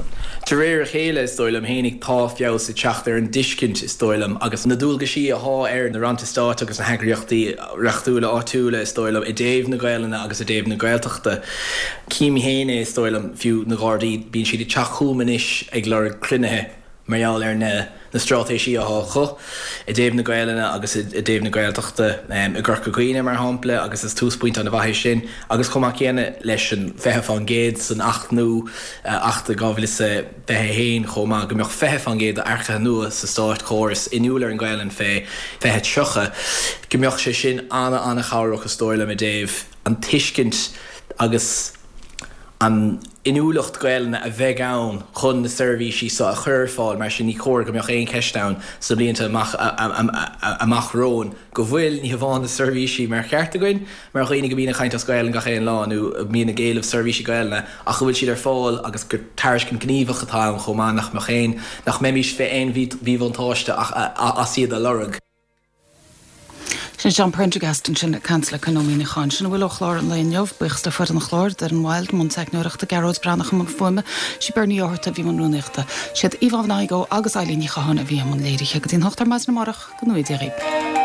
De réir a chéile, is dóigh liom fhéinig, tá feabhas ag teacht ar an dtuiscint, is dóigh liom, agus na dualgaisí athá ar na rannta stáit agus na heagraíochtaí reachtúla áitiúla, is dóigh liom, i dtaobh na Gaelainne agus i dtaobh na Gaeltachta. Cím féin é, is dóigh liom, fiú na Gardaí, bíonn siad ag teacht chugam anois ag lorg cruinnithe mar gheall ar na na straitéisí athá acu i dtaobh na Gaelainne agus i dtaobh na Gaeltachta i gCorca Dhuibhne, mar shampla, agus is túsphointe an-mhaith é sin agus chomh maith céanna leis an fiche fán gcéad san Acht nua, Acht dhá mhíle is a fiche a haon, chomh maith, go mbeadh fiche fán gcéad d'earcaithe nua sa státchóras inniúil ar an Ghaelainn fé fiche tríocha, go mbeadh sé sin ana-ana-chabhrach is dóigh liom i dtaobh an tuiscint agus an inniúlacht Gaelainne a bheidh ann chun na seirbhísí seo a chur ar fáil, mar sin ní chóir go mbeadh aon cheist ann sna blianta amach amach romhainn go bhfuil ní hamháin na seirbhísí mar cheart againn mar dhaoine go mbíonn ag caint as Gaelainn gach aon lá nó a mbíonn ag éileamh seirbhísí Gaelainne ach go bhfuil siad ar fáil agus gur tairiscint gníomhach atá ann chomh maith nach mbeadh aon nach mbeimis fé aon mhíbhuntáiste as iad a lorg. Sin John Prendergast ansin ag caint le Conn Ó Muíneacháin. Sin a bhfuil ó chlár an lae inniu. Buíochas le foireann an chláir, Doireann Wilde i mbun teicneoireachta, Gearóid Breathnach i mbun fuaime, sí Bernie Ó hEarta a bhí i mbun rúnaíochta. Siad Yvonne Igoe agus Eilín Ní Chatháin a bhí i mbun léirithe. Go dtí an hocht ar maidin amárach, go ngnóthaí Dia dhaoibh.